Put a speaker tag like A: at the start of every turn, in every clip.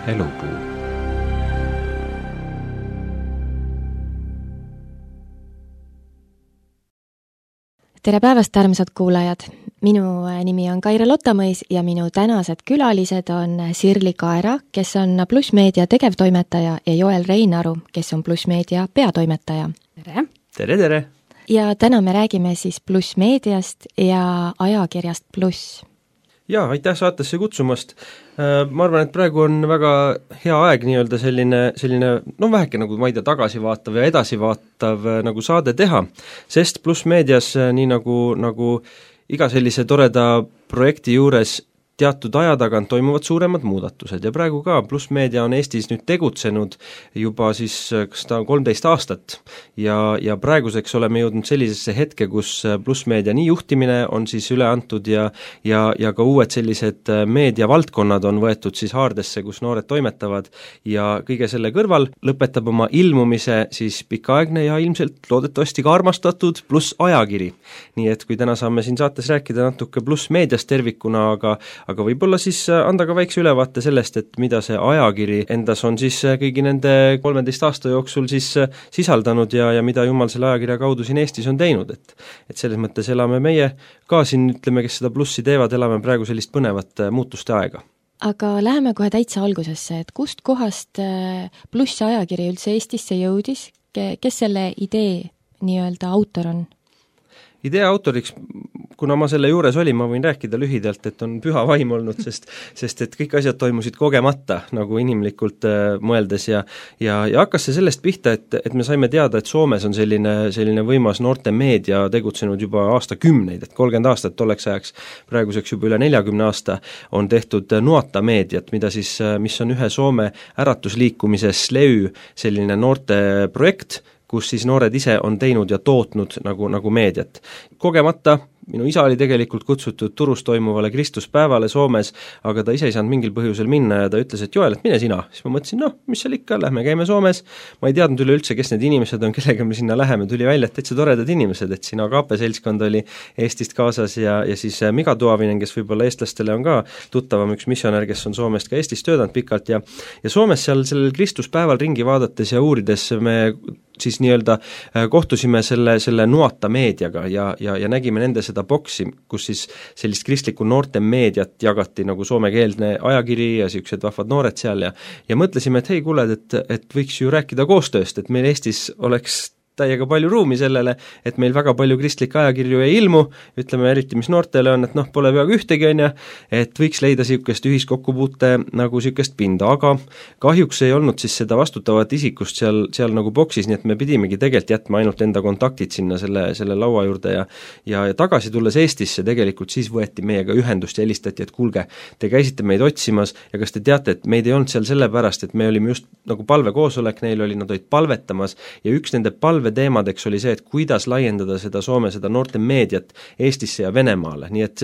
A: Elupuu.
B: Tere päevast, armsad kuulajad! Minu nimi on Kaire Lottamõis ja minu tänased külalised on Sirli Kaera, kes on Pluss Meedia tegevtoimetaja, ja Joel Reinaru, kes on Pluss Meedia peatoimetaja.
C: Tere!
A: Tere, tere!
B: Ja täna me räägime siis Pluss Meediast ja ajakirjast Pluss.
A: Jaa, aitäh saatesse kutsumast. Ma arvan, et praegu on väga hea aeg nii-öelda selline väheke nagu, ma ei tea, tagasivaatav ja edasivaatav nagu saade teha, sest Pluss Meedias nii nagu iga sellise toreda projekti juures teatud aja tagant toimuvad suuremad muudatused ja praegu ka Pluss Meedia on Eestis nüüd tegutsenud juba siis kas ta on 13 aastat ja praeguseks oleme jõudnud sellisesse hetke, kus Pluss Meedia nii juhtimine on siis üle antud ja ka uued sellised meediavaldkonnad on võetud siis haardesse, kus noored toimetavad ja kõige selle kõrval lõpetab oma ilmumise siis pikaaegne ja ilmselt loodetavasti ka armastatud Pluss ajakiri. Nii et kui täna saame siin saates rääkida natuke Pluss Meediast tervikuna, aga võib-olla siis anda ka väikse ülevaate sellest, et mida see ajakiri endas on siis kõigi nende 13 aasta jooksul siis sisaldanud ja mida Jumal selle ajakirja kaudu siin Eestis on teinud, et selles mõttes elame meie ka siin, ütleme, kes seda Plussi teevad, elame praegu sellist põnevat muutuste aega.
B: Aga läheme kohe täitsa algusesse, et kust kohast Pluss ajakiri üldse Eestisse jõudis, kes selle idee nii-öelda autor on?
A: Idee autoriks, kuna ma selle juures olin, ma võin rääkida lühidalt, et on püha vaim olnud, sest et kõik asjad toimusid kogemata, nagu inimlikult mõeldes ja hakkas see sellest pihta, et me saime teada, et Soomes on selline võimas noorte meedia tegutsenud juba aastakümneid, et 30 aastat tolleks ajaks, praeguseks juba üle 40 aasta, on tehtud Nuota meediat, mis on ühe Soome äratusliikumise SLEY selline noorte projekt, kus siis noored ise on teinud ja tootnud nagu meediat. Kogemata minu isa oli tegelikult kutsutud Turus toimuvale Kristuspäevale Soomes, aga ta ise ei saanud mingil põhjusel minna ja ta ütles, et Joel, et mine sina. Siis ma mõtlesin, mis seal ikka, lähme käime Soomes. Ma ei teadnud üleüldse, kes need inimesed on, kellega me sinna läheme. Tuli välja, et täitsa toredad inimesed, et siin Agape seltskond oli Eestist kaasas ja siis Mika Tuavinen, kes võib-olla eestlastele on ka tuttavam, üks missionär, kes on Soomest ka Eestis töötanud pikalt ja Soomes seal sellel Kristuspäeval ringi vaadates ja uurides me siis nii-öelda kohtusime selle Nuota meediaga ja nägime nende seda boksi, kus siis sellist kristlikku noorte meediat jagati nagu soomekeelne ajakiri ja siuksed vahvad noored seal ja mõtlesime, et hei kuuled, et võiks ju rääkida koostööst, et meil Eestis oleks täiega palju ruumi sellele, et meil väga palju kristlikke ajakirju ei ilmu, ütleme eriti, mis noortele on, et pole peaaegu ühtegi on ja, et võiks leida siukest ühiskokkupuute nagu siukest pinda, aga kahjuks ei olnud siis seda vastutavat isikust seal nagu boksis, nii et me pidimegi tegelikult jätma ainult enda kontaktid sinna selle laua juurde ja tagasi tulles Eestisse tegelikult siis võeti meiega ühendust ja helistati, et kuulge, te käisite meid otsimas ja kas te teate, et meid ei olnud seal sellepärast, et me olime just nagu palvekoosolek, neil oli, nad olid palvetamas ja üks nende teemadeks oli see, et kuidas laiendada seda Soome, seda noorte meediat Eestisse ja Venemaale, nii et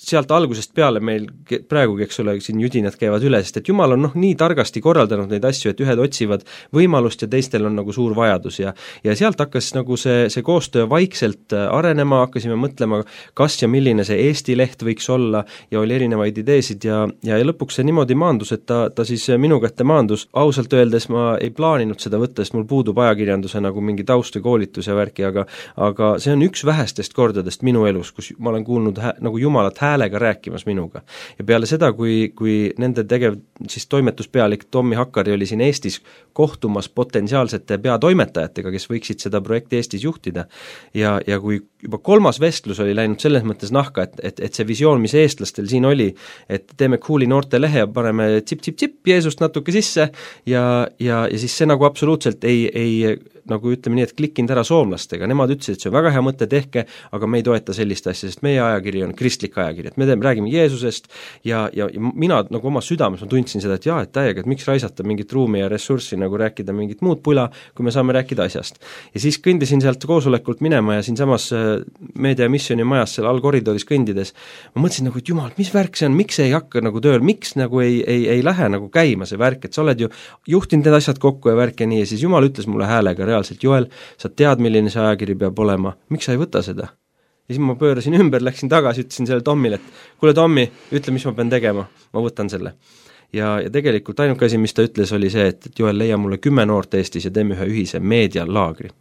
A: sealt algusest peale meil praegugi, eks ole, siin judinad käivad üle, sest et Jumal on nii targasti korraldanud neid asju, et ühed otsivad võimalust ja teistel on nagu suur vajadus ja sealt hakkas nagu see koostöö vaikselt arenema, hakkasime mõtlema, kas ja milline see Eesti leht võiks olla ja oli erinevaid ideesid ja lõpuks see niimoodi maandus, et ta siis minu kätte maandus, ausalt öeldes ma ei plaaninud seda võtta, sest mul puudub ajakirjanduse nagu mingi taust või koolitus ja värki, aga see on üks vähestest kordadest minu elus, kus ma olen kuulnud nagu Jumalat häälega rääkimas minuga. Ja peale seda, kui nende siis toimetuspealik Tommi Hakkari oli siin Eestis kohtumas potentsiaalsete peatoimetajatega, kes võiksid seda projekti Eestis juhtida ja kui juba 3. vestlus oli läinud selles mõttes nahka, et see visioon, mis eestlastel siin oli, et teeme cooli noorte lehe ja paneme tsip Jeesust natuke sisse ja siis see nagu absoluutselt ei nagu ütleme nii, et klikkinud ära soomlastega, nemad ütlesid, et see on väga hea mõte, tehke, aga me ei toeta sellist asja, sest meie ajakiri on kristlik ajakiri, et me räägime Jeesusest ja mina nagu oma südames ma tundsin seda, et et täiega, et miks raisata mingit ruumi ja ressurssi nagu rääkida mingit muud pula, kui me saame rääkida asjast. Ja siis kõndisin sealt koosolekult minema ja siinsamas meedia missiooni majas seal all koridoris kõndides, ma mõtlesin nagu, et Jumal, mis värk see on, miks ei hakka nagu tööl, miks nagu ei lähe nagu käima see värk, et sa oled ju juhtinud need asjad kokku ja värk ja nii ja siis Jumal ütles mulle häälega reaalselt, Joel, sa tead, milline see ajakiri peab olema, miks sa ei võta seda? Ja siis ma pöörasin ümber, läksin tagasi, ütlesin selle Tommile, et kuule Tommi, ütle, mis ma pean tegema, ma võtan selle. ja tegelikult ainuke asi, mis ta ütles, oli see, et Joel, leia mulle 10 noort Eestis ja teeme ühe ühise meedialaagri.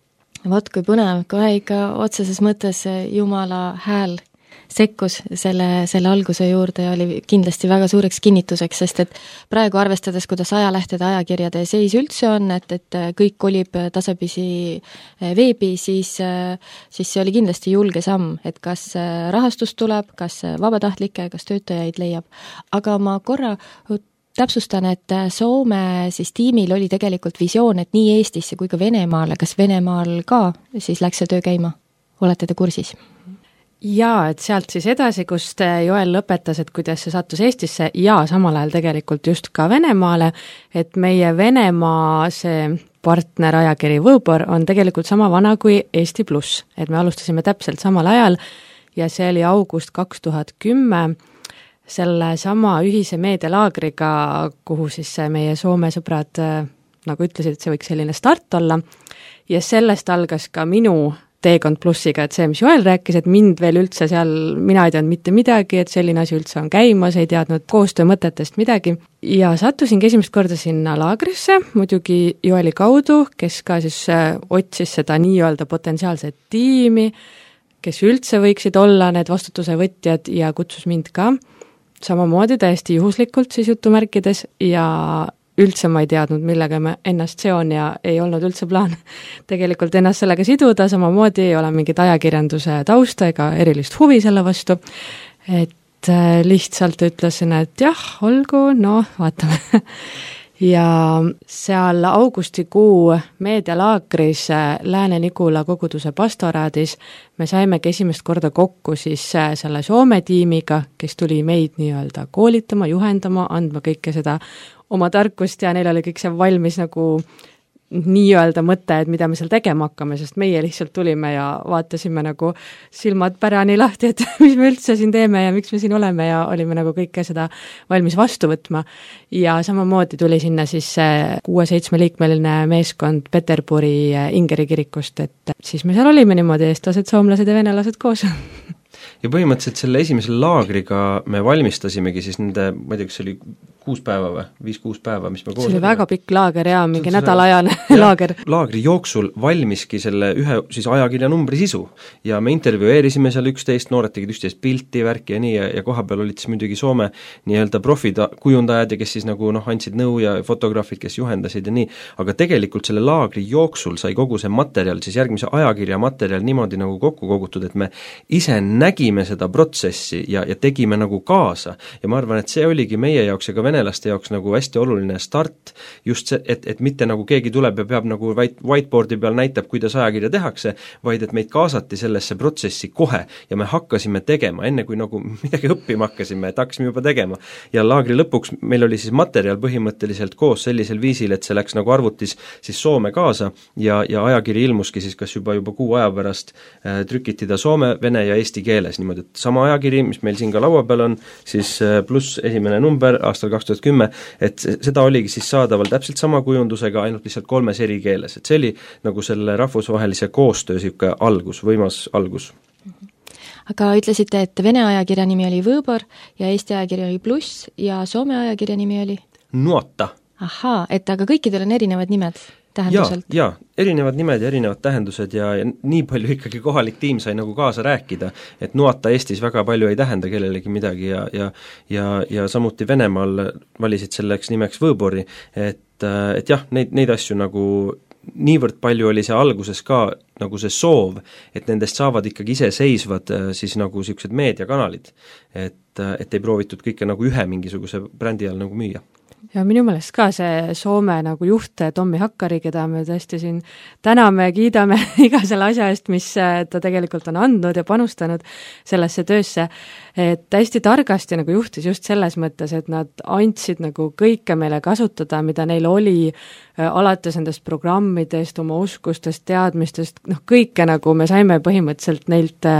B: Vot kui põnev, kohe ikka otseses mõttes Jumala hääl sekkus selle alguse juurde ja oli kindlasti väga suureks kinnituseks, sest et praegu arvestades, kuidas ajalehtede, ajakirjade seis üldse on, et kõik kolib tasapisi veebi, siis see oli kindlasti julge samm, et kas rahastus tuleb, kas vabatahtlikke, kas töötajaid leiab. Aga ma korra täpsustan, et Soome siis tiimil oli tegelikult visioon, et nii Eestisse kui ka Venemaale, kas Venemaal ka siis läks see töö käima? Olete te kursis?
C: Jaa, et sealt siis edasi, kust Joel lõpetas, et kuidas see sattus Eestisse ja samal ajal tegelikult just ka Venemaale, et meie Venemaa see partner ajakiri Võõbor on tegelikult sama vana kui Eesti Pluss, et me alustasime täpselt samal ajal ja see oli august 2010 selle sama ühise meedialaagriga, kuhu siis meie Soome sõbrad nagu ütlesid, et see võiks selline start olla ja sellest algas ka minu teekond Plussiga, et see, mis Joel rääkis, et mind veel üldse seal, mina ei teadnud mitte midagi, et selline asi üldse on käimas, ei teadnud koostöömõtetest midagi ja sattusingi esimest korda sinna laagrisse, muidugi Joeli kaudu, kes ka siis otsis seda nii-öelda potentsiaalset tiimi, kes üldse võiksid olla need vastutuse võtjad ja kutsus mind ka samamoodi täiesti juhuslikult siis jutumärkides ja üldse ma ei teadnud, millega ma ennast seon ja ei olnud üldse plaan tegelikult ennast sellega siduda, samamoodi ei ole mingit ajakirjanduse tausta ega erilist huvi selle vastu, et lihtsalt ütlesin, et jah, olgu, no vaatame. Ja seal augustikuu meedialaagris Lääne-Nigula koguduse pastoraadis me saimegi esimest korda kokku siis selle Soome tiimiga, kes tuli meid nii-öelda koolitama, juhendama, andma kõike seda oma tarkust ja neil oli kõik see valmis nagu nii-öelda mõte, et mida me seal tegema hakkame, sest meie lihtsalt tulime ja vaatasime nagu silmad pärani lahti, et mis me üldse siin teeme ja miks me siin oleme ja olime nagu kõike seda valmis vastu võtma. Ja samamoodi tuli sinna siis 6-7 liikmeline meeskond Peterburi Ingeri kirikust, et siis me seal olime niimoodi eestlased, soomlased ja venelased koos.
A: Ja põhimõtteliselt selle esimese laagriga me valmistasimegi siis nende, ma ei tea, kas see oli 6 päeva või 5-6 päeva, mis me koos
C: see oli väga pikk laager ja mingi nädalajane laager.
A: Laagri jooksul valmiski selle ühe siis ajakirja numbri sisu ja me intervjueerisime seal üksteist, noored tegid üksteist pilti, värki ja nii ja koha peal olid siis muidugi Soome nii-öelda profid, kujundajad ja kes siis nagu andsid nõu ja fotograafid, kes juhendasid ja nii, aga tegelikult selle laagri jooksul sai kogu see materjal, siis järgmise ajakirja materjal niimoodi nagu kokku kogutud, et me ise nägime seda protsessi ja tegime nagu kaasa ja ma arvan, et see oligi meie jaoks ja ka venelaste jaoks nagu hästi oluline start, just see, et mitte nagu keegi tuleb ja peab nagu whiteboardi peal näitab, kuidas ajakirja tehakse, vaid et meid kaasati sellesse protsessi kohe ja me hakkasime tegema, enne kui nagu midagi õppima hakkasime, et hakkasime juba tegema. Ja laagri lõpuks meil oli siis materjal põhimõtteliselt koos sellisel viisil, et see läks nagu arvutis siis Soome kaasa ja ajakiri ilmuski siis kas juba kuu aja pärast trükiti ta soome, vene ja eesti keeles, niimoodi, et sama ajakiri, mis meil siin ka laua peal on, siis pluss esimene number aastal 2010, et seda oligi siis saadaval täpselt sama kujundusega, ainult lihtsalt 3 eri keeles, et see oli nagu selle rahvusvahelise koostöö siuke algus, võimas algus.
B: Aga ütlesite, et Vene ajakirja nimi oli Võõbor ja Eesti ajakirja oli Pluss ja Soome ajakirja nimi oli?
A: Nuota.
B: Ahaa, et aga kõikidel on erinevad nimed tähenduselt?
A: Jaa, erinevad nimed ja erinevad tähendused ja nii palju ikkagi kohalik tiim sai nagu kaasa rääkida, et Nuota Eestis väga palju ei tähenda kellelegi midagi ja samuti Venemaal valisid selleks nimeks Võõbori, et jah, neid asju nagu niivõrd palju oli see alguses ka nagu see soov, et nendest saavad ikkagi iseseisvad siis nagu niisugused meediakanalid, et ei proovitud kõike nagu ühe mingisuguse brändi all nagu müüa.
C: Ja minu meelest ka see Soome nagu juht Tommi Hakkari, keda me tõesti siin täname ja kiidame iga selle asja eest, mis ta tegelikult on andnud ja panustanud sellesse töösse, et hästi targasti nagu juhtis just selles mõttes, et nad andsid nagu kõike meile kasutada, mida neil oli alates nendest programmidest, oma oskustest, teadmistest, kõike nagu me saime põhimõtteliselt neilt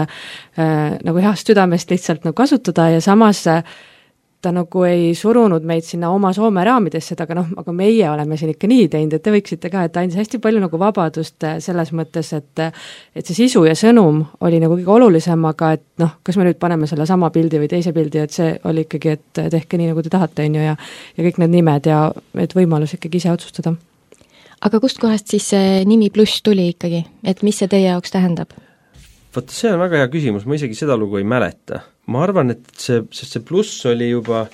C: nagu heast südamest lihtsalt nagu kasutada ja samas ta nagu ei surunud meid sinna oma Soome raamidesse, aga meie oleme siin ikka nii teinud, et te võiksite ka, et ta andis hästi palju nagu vabadust selles mõttes, et see sisu ja sõnum oli nagu kõige olulisem, aga et kas me nüüd paneme selle sama pildi või teise pildi, et see oli ikkagi, et tehke nii, nagu te tahate, on ju, ja kõik need nimed ja et võimalus ikkagi ise otsustada.
B: Aga kust kohast siis see nimi Pluss tuli ikkagi, et mis see teie jaoks tähendab?
A: Vaata, see on väga hea küsimus, ma isegi seda lugu ei mäleta. Ma arvan, et see pluss oli juba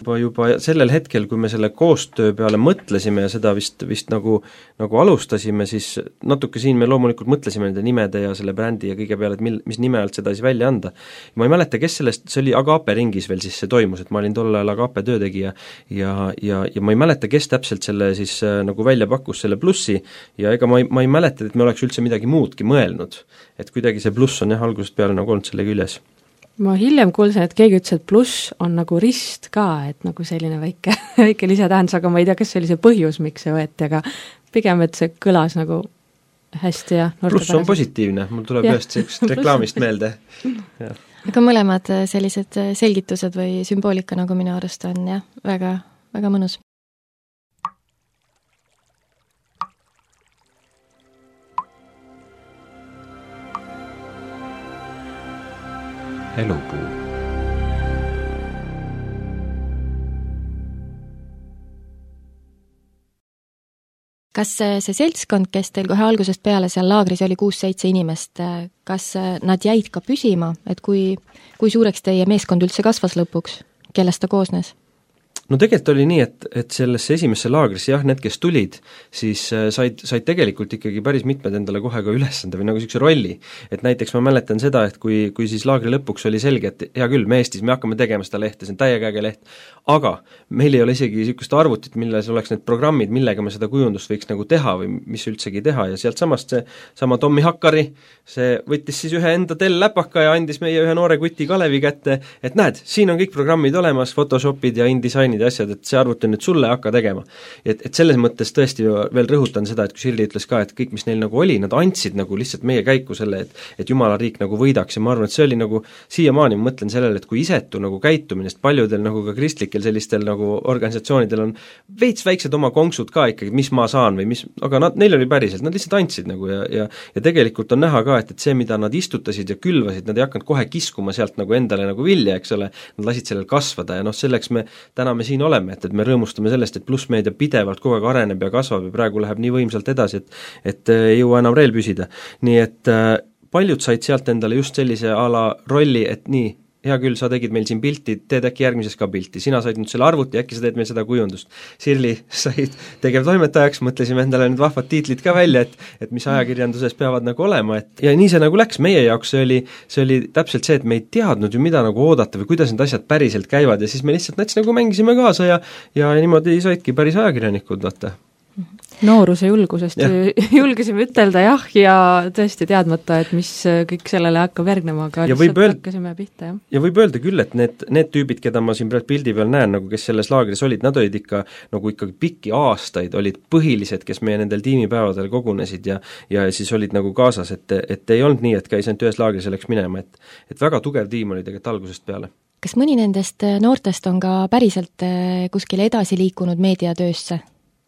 A: sellel hetkel, kui me selle koostöö peale mõtlesime ja seda vist nagu alustasime, siis natuke siin me loomulikult mõtlesime nende nimede ja selle brändi ja kõige peale, et mis nime alt seda siis välja anda. Ma ei mäleta, kes sellest, see oli Agape ringis veel siis see toimus, et ma olin tol ajal Agape töötegija ja ma ei mäleta, kes täpselt selle siis nagu välja pakkus selle plussi ja ega ma ei mäleta, et me oleks üldse midagi muudki mõelnud. Et kuidagi see pluss on jah algusest peale nagu olnud selle küljes.
C: Ma hiljem kuulsin, et keegi ütles, et pluss on nagu rist ka, et nagu selline väike lisatähendus, aga ma ei tea, kas see oli see põhjus, miks see võeti, aga pigem, et see kõlas nagu hästi ja
A: pluss on positiivne, mul tuleb ühest sellisest reklaamist meelde. Ja.
B: Aga mõlemad sellised selgitused või sümboolika nagu minu arust on jah, väga, väga mõnus.
D: Elupuu.
B: Kas see seltskond, kes teil kohe algusest peale seal laagris oli 6-7 inimest, kas nad jäid ka püsima, et kui suureks teie meeskond üldse kasvas lõpuks, kellest ta koosnes?
A: No tegelikult oli nii, et sellesse esimesse laagrisse jah, need, kes tulid, siis said tegelikult ikkagi päris mitmed endale kohe ka ülesande või nagu sellise rolli. Et näiteks ma mäletan seda, et kui siis laagri lõpuks oli selge, et hea küll, me Eestis, me hakkame tegema seda lehte, see on täiega leht, aga meil ei ole isegi niisugust arvutit, milles oleks need programmid, millega me seda kujundust võiks nagu teha või mis üldsegi teha ja sealt samast see sama Tommi Hakkari, see võttis siis ühe enda läpaka ja andis meie ühe noore kuti Kalevi kätte, et näed, siin on kõik programmid olemas, Photoshopid ja InDesignid ja asjad, et see arvuti nüüd sulle hakka tegema. Et selles mõttes tõesti veel rõhutan seda, et kui Shirley ütles ka, et kõik, mis neil nagu oli, nad andsid nagu lihtsalt meie käiku selle, et Jumala riik nagu võidaks ja ma arvan, et see oli nagu siiamaani ma mõtlen sellele, et kui isetu nagu käitumine, sest paljudel nagu ka kristlikel sellistel nagu organisatsioonidel on veits väiksed oma konksud ka ikkagi, mis ma saan või mis, aga neil oli päriselt, nad lihtsalt andsid nagu ja tegelikult on näha ka, et see, mida nad istutasid ja külvasid, nad ei hakanud kohe kiskuma sealt nagu endale nagu vilja, eks ole, nad lasid sellel kasvada ja selleks täna me siin oleme, et me rõõmustame sellest, et plussmeedia pidevalt kogu aeg areneb ja kasvab ja praegu läheb nii võimsalt edasi, et ei jõua enam reel püsida. Nii et paljud said sealt endale just sellise ala rolli, et nii, hea küll, sa tegid meil siin pilti, teed äkki järgmises ka pilti, sina said nüüd selle arvuti, äkki sa teed meil seda kujundust. Shirley said tegevtoimetajaks, mõtlesime endale need vahvad tiitlid ka välja, et mis ajakirjanduses peavad nagu olema, et ja nii see nagu läks, meie jaoks see oli täpselt see, et me ei teadnud ju, mida nagu oodata või kuidas need asjad päriselt käivad ja siis me lihtsalt nats nagu mängisime kaasa ja niimoodi saidki päris ajakirjanikud, vaata.
C: Nooruse julgusest julgesime ütelda jah ja tõesti teadmata, et mis kõik sellele hakkab järgnema, aga lihtsalt hakkasime pihta, jah.
A: Ja võib öelda küll, et need tüübid, keda ma siin pildi peal näen, nagu kes selles laagris olid, nad olid ikka nagu ikkagi pikki aastaid, olid põhilised, kes meie nendel tiimipäevadel kogunesid ja siis olid nagu kaasas, et ei olnud nii, et käis ainult ühes laagris ja läks minema, et väga tugev tiim oli tegelikult algusest peale.
B: Kas mõni nendest noortest on ka päriselt kuskile edasi liikunud meediatöösse?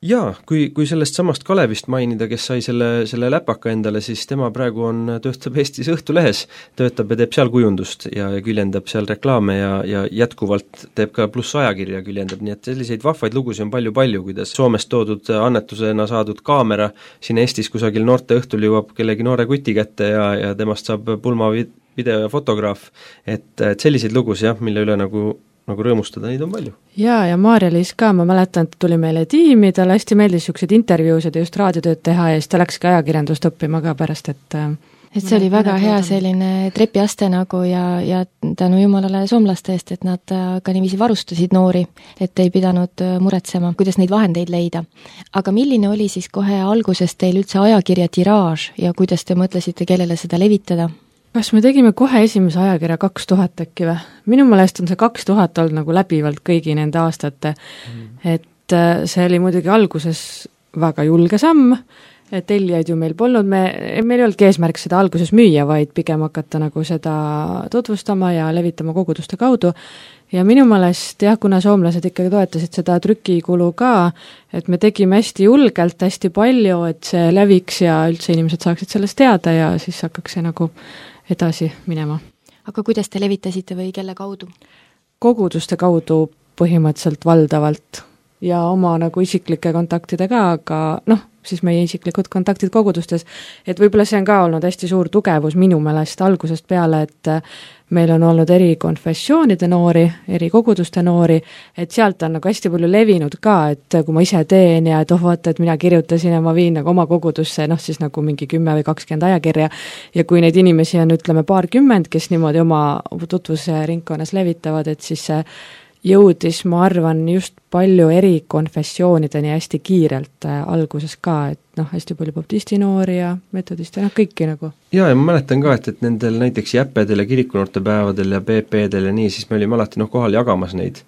A: Jaa, kui sellest samast Kalevist mainida, kes sai selle läpaka endale, siis tema praegu töötab Eestis Õhtulehes, töötab ja teeb seal kujundust ja küljendab seal reklaame ja jätkuvalt teeb ka pluss ajakirja küljendab, nii et selliseid vahvaid lugusid on palju, kuidas Soomest toodud annetusena saadud kaamera siin Eestis kusagil noorte õhtul jõuab kellegi noore kuti kätte ja temast saab pulma video ja fotograaf, et selliseid lugusid jah, mille üle nagu rõõmustada, neid on palju.
C: Ja Maarja-Liis ka, ma mäletan, et tuli meile tiimi, talle hästi meeldis niisugused intervjuusid ja just raadiotööd teha ja siis ta läkski ajakirjandust õppima ka pärast, et
B: see oli väga hea selline trepiaste nagu ja tänu jumalale soomlaste eest, et nad ka niiviisi varustasid noori, et ei pidanud muretsema, kuidas neid vahendeid leida. Aga milline oli siis kohe alguses teil üldse ajakirja tiraaž ja kuidas te mõtlesite, kellele seda levitada?
C: Kas me tegime kohe esimese ajakirja 2000 äkki või? Minu meelest on see 2000 olnud nagu läbivalt kõigi nende aastate, et see oli muidugi alguses väga julge samm, tellijaid ju meil polnud, meil ei olnudki eesmärk seda alguses müüa, vaid pigem hakata nagu seda tutvustama ja levitama koguduste kaudu. Ja minu meelest jah, kuna soomlased ikkagi toetasid seda trükikulu ka, et me tegime hästi julgelt, hästi palju, et see leviks ja üldse inimesed saaksid sellest teada ja siis hakkaks see nagu edasi minema.
B: Aga kuidas te levitasite või kelle kaudu?
C: Koguduste kaudu põhimõtteliselt valdavalt ja oma nagu isiklike kontaktidega, aga siis meie isiklikud kontaktid kogudustes, et võib-olla see on ka olnud hästi suur tugevus minu meelest algusest peale, et meil on olnud eri konfessioonide noori, eri koguduste noori, et sealt on nagu hästi palju levinud ka, et kui ma ise teen ja et vaata, et mina kirjutasin ja ma viin nagu oma kogudusse, siis nagu mingi 10 või 20 ajakirja ja kui neid inimesi on, ütleme, paarkümmend, kes niimoodi oma tutvusringkonnas levitavad, et siis see jõudis, ma arvan, just palju eri konfessioonideni hästi kiirelt alguses ka, et hästi palju baptisti noori ja metodisti, kõiki nagu.
A: Ja ma mäletan ka, et nendel näiteks jäppedel ja kirikunoortepäevadel ja PP-del ja nii, siis me olime alati kohal jagamas neid,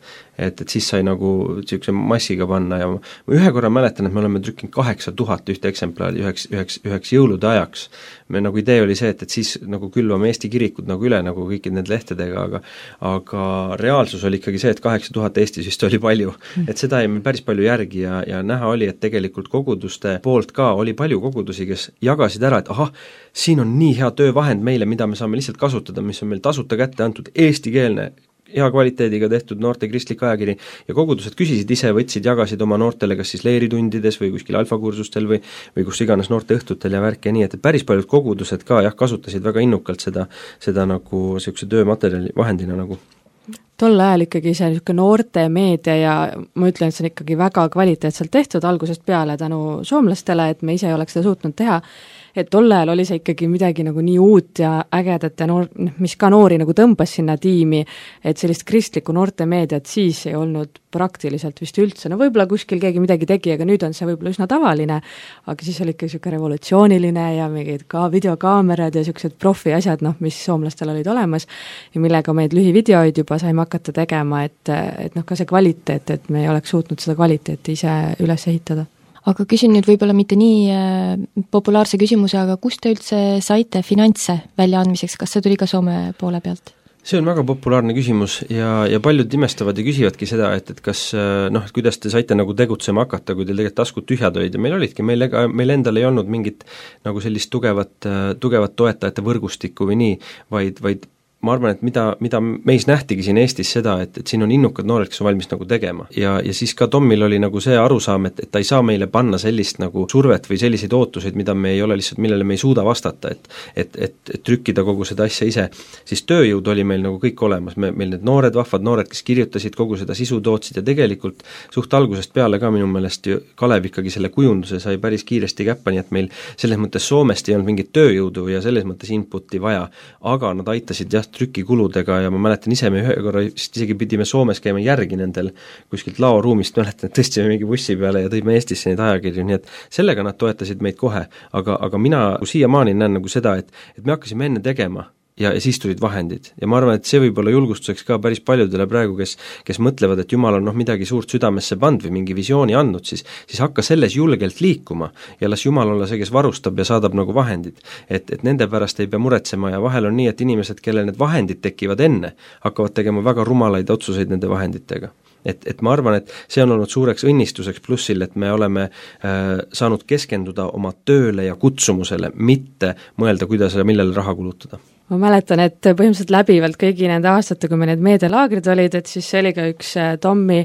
A: et siis sai nagu niisuguse massiga panna ja ma ühe korra mäletan, et me oleme trükkinud 8000 ühte eksemplari üheks jõulude ajaks. Me nagu idee oli see, et siis nagu külvame Eesti kirikud nagu üle nagu kõikid need lehtedega, aga reaalsus oli ikkagi see, et 8000 Eestis vist oli palju. Et seda jäi meil päris palju järgi ja näha oli, et tegelikult koguduste poolt ka oli palju kogudusi, kes jagasid ära, et ahah, siin on nii hea töövahend meile, mida me saame lihtsalt kasutada, mis on meil tasuta kätte antud, eestikeelne, hea kvaliteediga tehtud noorte kristlik ajakiri ja kogudused küsisid ise, võtsid, jagasid oma noortele kas siis leeritundides või kuskil alfakursustel või kus iganes noorte õhtutel ja värk ja nii, et päris paljud kogudused ka kasutasid väga innukalt seda nagu niisuguse töömaterjali vahendina nagu.
C: Tol ajal ikkagi see niisugune noorte meedia ja ma ütlen, et see on ikkagi väga kvaliteetselt tehtud algusest peale tänu soomlastele, et me ise ei oleks seda suutnud teha, et tol ajal oli see ikkagi midagi nagu nii uut ja ägedat ja mis ka noori nagu tõmbas sinna tiimi, et sellist kristlikku noorte meediat siis ei olnud praktiliselt vist üldse, võib-olla kuskil keegi midagi tegi, aga nüüd on see võib-olla üsna tavaline, aga siis oli ikka niisugune revolutsiooniline ja mingid ka videokaamerad ja niisugused profi asjad, mis soomlastel olid olemas ja millega meid lühivideoid juba saime hakata tegema, et ka see kvaliteet, et me ei oleks suutnud seda kvaliteeti ise üles ehitada.
B: Aga küsin nüüd võib-olla mitte nii populaarse küsimuse, aga kust te üldse saite finantse väljaandmiseks, kas see tuli ka Soome poole pealt?
A: See on väga populaarne küsimus ja paljud imestavad ja küsivadki seda, et kas kuidas te saite nagu tegutsema hakata, kui teil tegelikult taskud tühjad olid ja meil olidki, meil endal ei olnud mingit nagu sellist tugevat toetajate võrgustikku või nii, vaid ma arvan, et mida meis nähtigi siin Eestis seda, et siin on innukad noored, kes on valmis nagu tegema. Ja siis ka Tommil oli nagu see arusaam, et ta ei saa meile panna sellist nagu survet või selliseid ootuseid, mida me ei ole lihtsalt, millele me ei suuda vastata, et trükkida kogu seda asja ise. Siis tööjõud oli meil nagu kõik olemas, meil need vahvad noored, kes kirjutasid, kogu seda sisu tootsid ja tegelikult suht algusest peale ka minu meelest ju Kalev ikkagi selle kujunduse sai päris kiiresti käppa, nii et meil selles mõttes Soomest ei olnud mingit tööjõudu ja selles mõttes inputi vaja, aga nad aitasid trükikuludega ja ma mäletan ise, me ühe korra isegi pidime Soomes käima järgi nendel kuskilt laoruumist, mäletan, et tõstsime mingi bussi peale ja tõime Eestisse neid ajakirju, nii et sellega nad toetasid meid kohe, aga mina siiamaani näen nagu seda, et me hakkasime enne tegema ja siis tulid vahendid ja ma arvan, et see võib olla julgustuseks ka päris paljudele praegu, kes mõtlevad, et Jumal on midagi suurt südamesse pannud või mingi visiooni andnud, siis hakka selles julgelt liikuma ja las Jumal olla see, kes varustab ja saadab nagu vahendid. Et nende pärast ei pea muretsema ja vahel on nii, et inimesed, kellel need vahendid tekivad enne, hakkavad tegema väga rumalaid otsuseid nende vahenditega. Et ma arvan, et see on olnud suureks õnnistuseks plussil, et me oleme saanud keskenduda oma tööle ja kutsumusele, mitte mõelda, kuidas ja millele raha kulutada.
C: Ma mäletan, et põhimõtteliselt läbivalt kõigi nende aastate, kui me need meedialaagrid olid, et siis see oli ka üks Tommi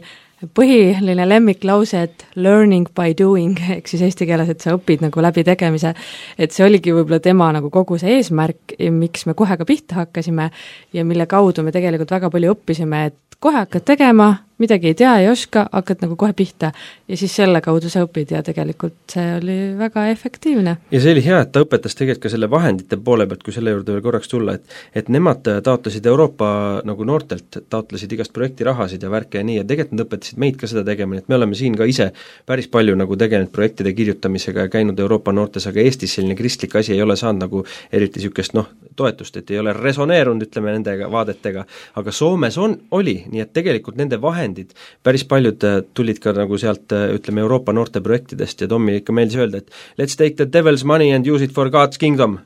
C: põhiline lemmiklause, et learning by doing, ehk siis eesti keeles, et sa õpid nagu läbi tegemise, et see oligi võib-olla tema nagu kogu see eesmärk, miks me kohe ka pihta hakkasime ja mille kaudu me tegelikult väga palju õppisime, et kohe hakkad tegema, midagi ei tea, ei oska, hakkad nagu kohe pihta ja siis selle kaudu sa õpid ja tegelikult see oli väga efektiivne.
A: Ja see oli hea, et ta õpetas tegelikult ka selle vahendite poole pealt, kui selle juurde veel korraks tulla, et nemad taotlesid Euroopa nagu noortelt, taotlesid igast projekti rahasid ja värke ja nii, ja tegelikult nad õpetasid meid ka seda tegema, et me oleme siin ka ise päris palju nagu tegelenud projektide kirjutamisega ja käinud Euroopa noortes, aga Eestis selline kristlik asi ei ole saanud nagu eriti niisugust toetust, et ei ole resoneerunud, ütleme, nendega vaadetega, aga Soomes oli, nii et tegelikult nende vahendid, päris paljud tulid ka nagu sealt, ütleme, Euroopa noorteprojektidest ja Tommi ikka meeldis öelda, et let's take the devil's money and use it for God's kingdom.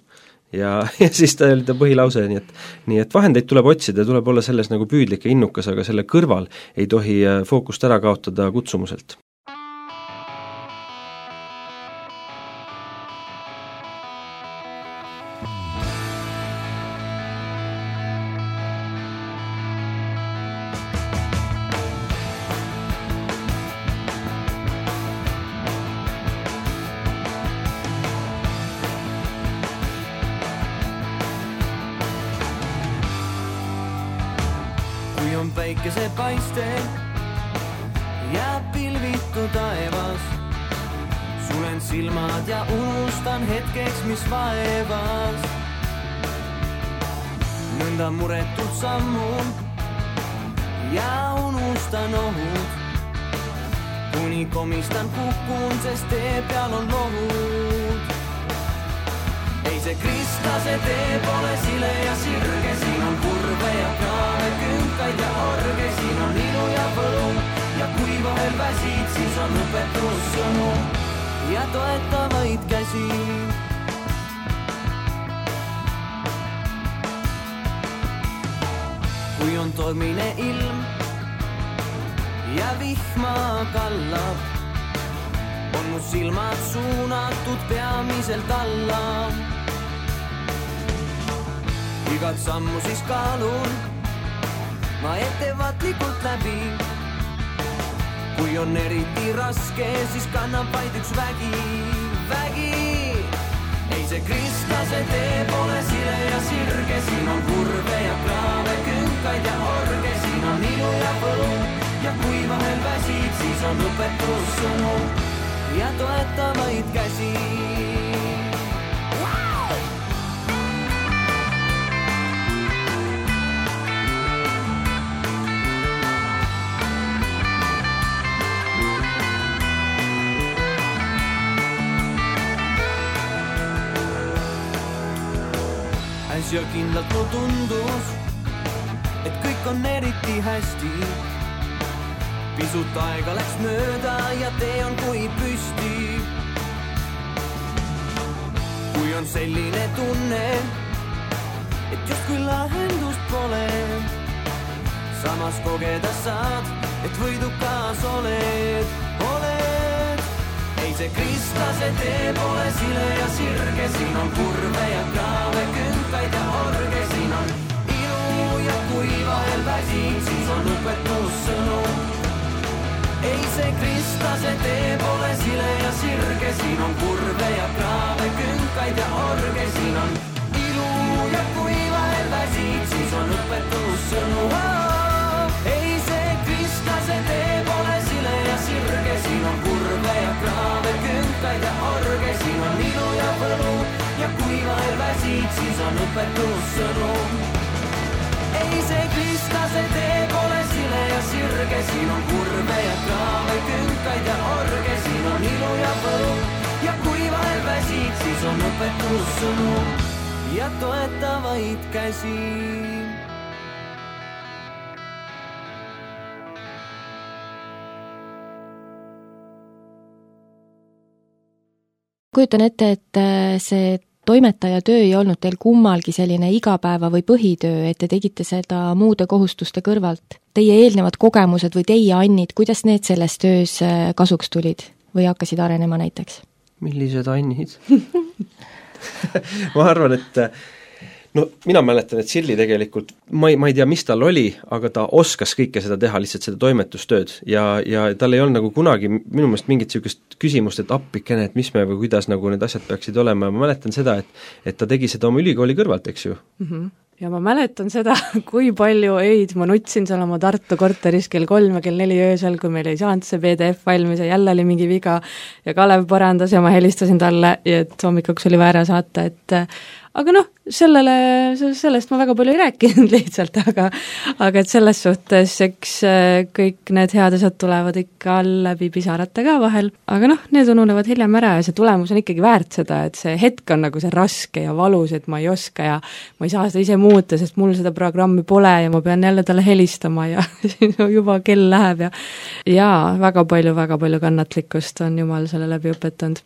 A: Ja siis ta oli ta põhilause, nii et vahendeid tuleb otsida, tuleb olla selles nagu püüdlik ja innukas, aga selle kõrval ei tohi fookust ära kaotada kutsumuselt.
D: Päikese paiste jääb pilvitu taevas. Sulen silmad ja unustan hetkeks, mis vaevas. Nõnda muretult sammun ja unustan ohud. Kuni komistan kukun, sest tee peal on lohud. Ei see kristase tee pole sile ja sirge, siin on kurve ja kraave, künkaid ja orge, siin on ilu ja võlu ja kui vahel väsid, siis on õpetussõnu ja toetavaid käsi. Kui on tormine ilm ja vihma kallab, on mu silmad suunatud peamiselt alla. Igat sammu siis kaalun ma ettevaatlikult läbi. Kui on eriti raske, siis kannab vaid üks vägi. Ei see kristlase tee pole sile ja sirge, siin on kurve ja kraave, künkaid ja orge, siin on ilu ja võlu ja kui vahel väsid, siis on õpetussõnu ja toetavaid käsi. Ja kindlalt mu tundus, et kõik on eriti hästi. Pisut aega läks mööda ja tee on kui püsti. Kui on selline tunne, et justkui lahendust pole, samas kogeda saad, et võidukas oled. Ei see kristlase tee pole sile ja sirge, siin on kurve ja kraave, künkaid ja orge, siin on ilu ja kui vahel väsid, siis on õpetussõnu. Ei see kristlase tee pole sile ja sirge, siin on kurve ja kraave, künkaid ja orge, siin on ilu ja kui vahel väsid, siis on õpetussõnu. Ei see kristlase tee pole sile ja sirge, siin on kurve ja kraave, künkaid ja orge, siin on ilu ja võlu ja kui vahel väsid, siis on õpetussõnu. Ei see kristlase tee pole sile ja sirge, siin on kurve ja kraave, künkaid ja orge, siin on ilu ja võlu ja kui vahel väsid, siis on õpetussõnu ja toetavaid käsi.
B: Kujutan ette, et see toimetaja töö ei olnud teil kummalgi selline igapäeva või põhitöö, et te tegite seda muude kohustuste kõrvalt. Teie eelnevad kogemused või teie annid, kuidas need selles töös kasuks tulid või hakkasid arenema näiteks?
A: Millised annid? Ma arvan, et no mina mäletan, et Silli tegelikult, ma ei tea, mis tal oli, aga ta oskas kõike seda teha, lihtsalt seda toimetustööd ja tal ei olnud nagu kunagi minu meelest mingit niisugust küsimust, et appikene, et mis me või kuidas nagu need asjad peaksid olema ja ma mäletan seda, et ta tegi seda oma ülikooli kõrvalt, eks ju?
C: Ja ma mäletan seda, kui palju öid ma nutsin seal oma Tartu korteris kell 3 ja kell 4 öösel, kui meil ei saanud see PDF valmis ja jälle oli mingi viga ja Kalev parandas ja ma helistasin talle, et hommikuks oli väär saata, et aga noh, sellest ma väga palju ei rääkinud lihtsalt, aga et selles suhtes, eks kõik need head asjad tulevad ikka läbi pisarate ka vahel, aga noh, need ununevad hiljem ära ja see tulemus on ikkagi väärt seda, et see hetk on nagu see raske ja valus, et ma ei oska ja ma ei saa seda ise muuta, sest mul seda programmi pole ja ma pean jälle talle helistama ja juba kell läheb ja väga palju kannatlikkust on Jumal selle läbi õpetanud.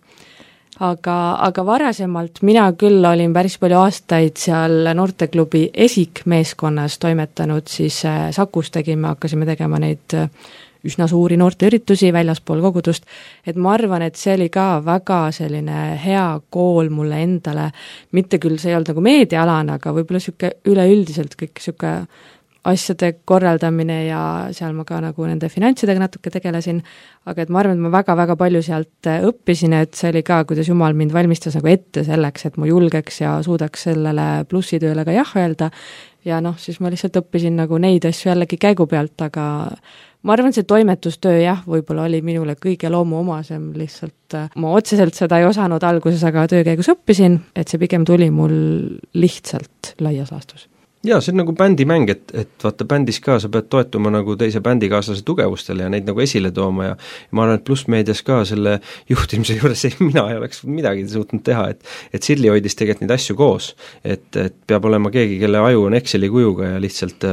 C: Aga varasemalt mina küll olin päris palju aastaid seal noorteklubi Esik meeskonnas toimetanud, siis Sakus hakkasime tegema neid üsna suuri noorteüritusi väljaspool kogudust, et ma arvan, et see oli ka väga selline hea kool mulle endale, mitte küll see ei olnud nagu meediaalane, aga võib-olla sihuke üleüldiselt kõik sihuke asjade korraldamine ja seal ma ka nagu nende finantsidega natuke tegelesin, aga et ma arvan, et ma väga palju sealt õppisin, et see oli ka, kuidas Jumal mind valmistas nagu ette selleks, et ma julgeks ja suudaks sellele plussitööle ka jah öelda ja noh, siis ma lihtsalt õppisin nagu neid asju jällegi käigu pealt, aga ma arvan, see toimetustöö jah, võib-olla oli minule kõige loomuomasem, lihtsalt ma otseselt seda ei osanud alguses, aga töö käigus õppisin, et see pigem tuli mul lihtsalt laias laastus.
A: Jaa, see on nagu bändimäng, et vaata bändis ka sa pead toetuma nagu teise bändikaaslase tugevustele ja neid nagu esile tooma ja ma arvan, et plussmeedias ka selle juhtimise juures mina ei oleks midagi suutnud teha, et Sirli hoidis tegelikult neid asju koos, et peab olema keegi, kelle aju on Exceli kujuga ja lihtsalt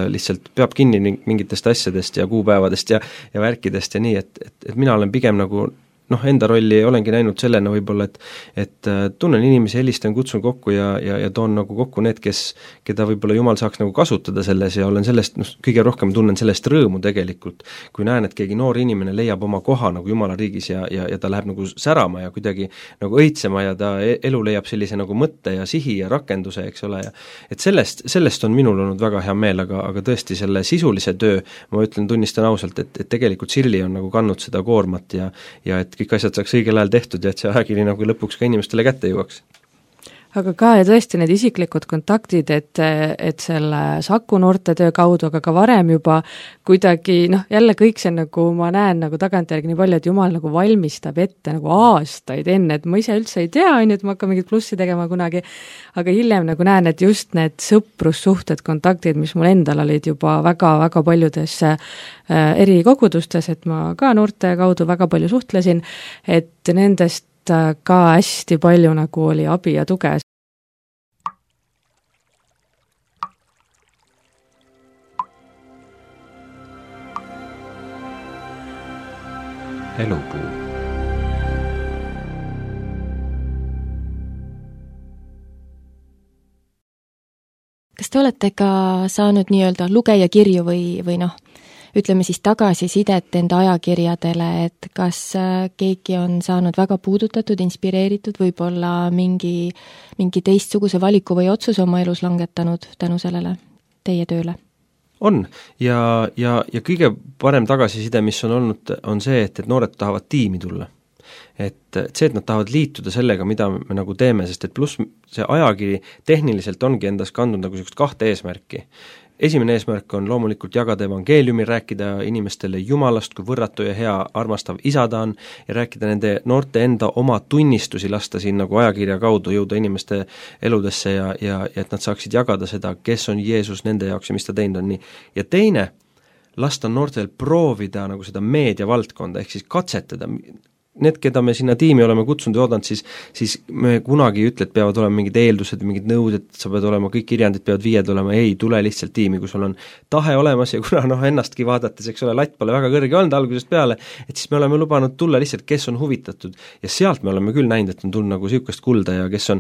A: peab kinni mingitest asjadest ja kuupäevadest ja värkidest ja nii, et mina olen pigem nagu enda rolli olengi näinud sellena võib-olla, et tunnen inimesi, helistan, kutsun kokku ja toon nagu kokku need, keda võib-olla Jumal saaks nagu kasutada selles ja olen sellest, kõige rohkem tunnen sellest rõõmu tegelikult, kui näen, et keegi noor inimene leiab oma koha nagu Jumala riigis ja ta läheb nagu särama ja kuidagi nagu õitsema ja ta elu leiab sellise nagu mõtte ja sihi ja rakenduse, eks ole, ja et sellest on minul olnud väga hea meel, aga tõesti selle sisulise töö, ma tunnistan ausalt, et tegelikult Sirli on nagu kandnud seda koormat ja et kõik asjad saaks õigel ajal tehtud ja et see ajakiri nagu lõpuks ka inimestele kätte jõuaks.
C: Aga ka ja tõesti need isiklikud kontaktid, et selle Saku noortetöö kaudu, aga ka varem juba kuidagi, jälle kõik see nagu ma näen nagu tagantjärgi nii palju, et Jumal nagu valmistab ette nagu aastaid enne, et ma ise üldse ei tea, et ma hakkan mingit plussi tegema kunagi, aga hiljem nagu näen, et just need sõprussuhted, kontaktid, mis mul endal olid juba väga paljudes eri kogudustes, et ma ka noorte kaudu väga palju suhtlesin, et nendest ka hästi palju nagu oli abi ja tuge.
E: Elupuu.
B: Kas te olete ka saanud nii-öelda lugejakirju või ütleme siis tagasisidet enda ajakirjadele, et kas keegi on saanud väga puudutatud, inspireeritud, võib-olla mingi teistsuguse valiku või otsuse oma elus langetanud tänu sellele teie tööle?
A: On ja kõige parem tagasiside, mis on olnud, on see, et noored tahavad tiimi tulla. Et see, et nad tahavad liituda sellega, mida me nagu teeme, sest et pluss see ajakiri tehniliselt ongi endas kandnud nagu sellist 2 eesmärki. Esimene eesmärk on loomulikult jagada evangeeliumi, rääkida inimestele Jumalast, kui võrratu ja hea armastav isa ta on ja rääkida nende noorte enda oma tunnistusi, lasta siin nagu ajakirja kaudu jõuda inimeste eludesse ja et nad saaksid jagada seda, kes on Jeesus nende jaoks ja mis ta teinud on nii. Ja teine, lasta noortel proovida nagu seda meediavaldkonda, ehk siis katsetada. Need, keda me sinna tiimi oleme kutsunud ja oodanud, siis me kunagi ei ütle, et peavad olema mingid eeldused, mingid nõuded, sa pead olema, kõik kirjandid peavad 5 olema, ei, tule lihtsalt tiimi, kui sul on tahe olemas ja kuna ennastki vaadates, eks ole, latt pole väga kõrge olnud algusest peale, et siis me oleme lubanud tulla lihtsalt, kes on huvitatud ja sealt me oleme küll näinud, et on tulnud nagu sihukest kulda ja kes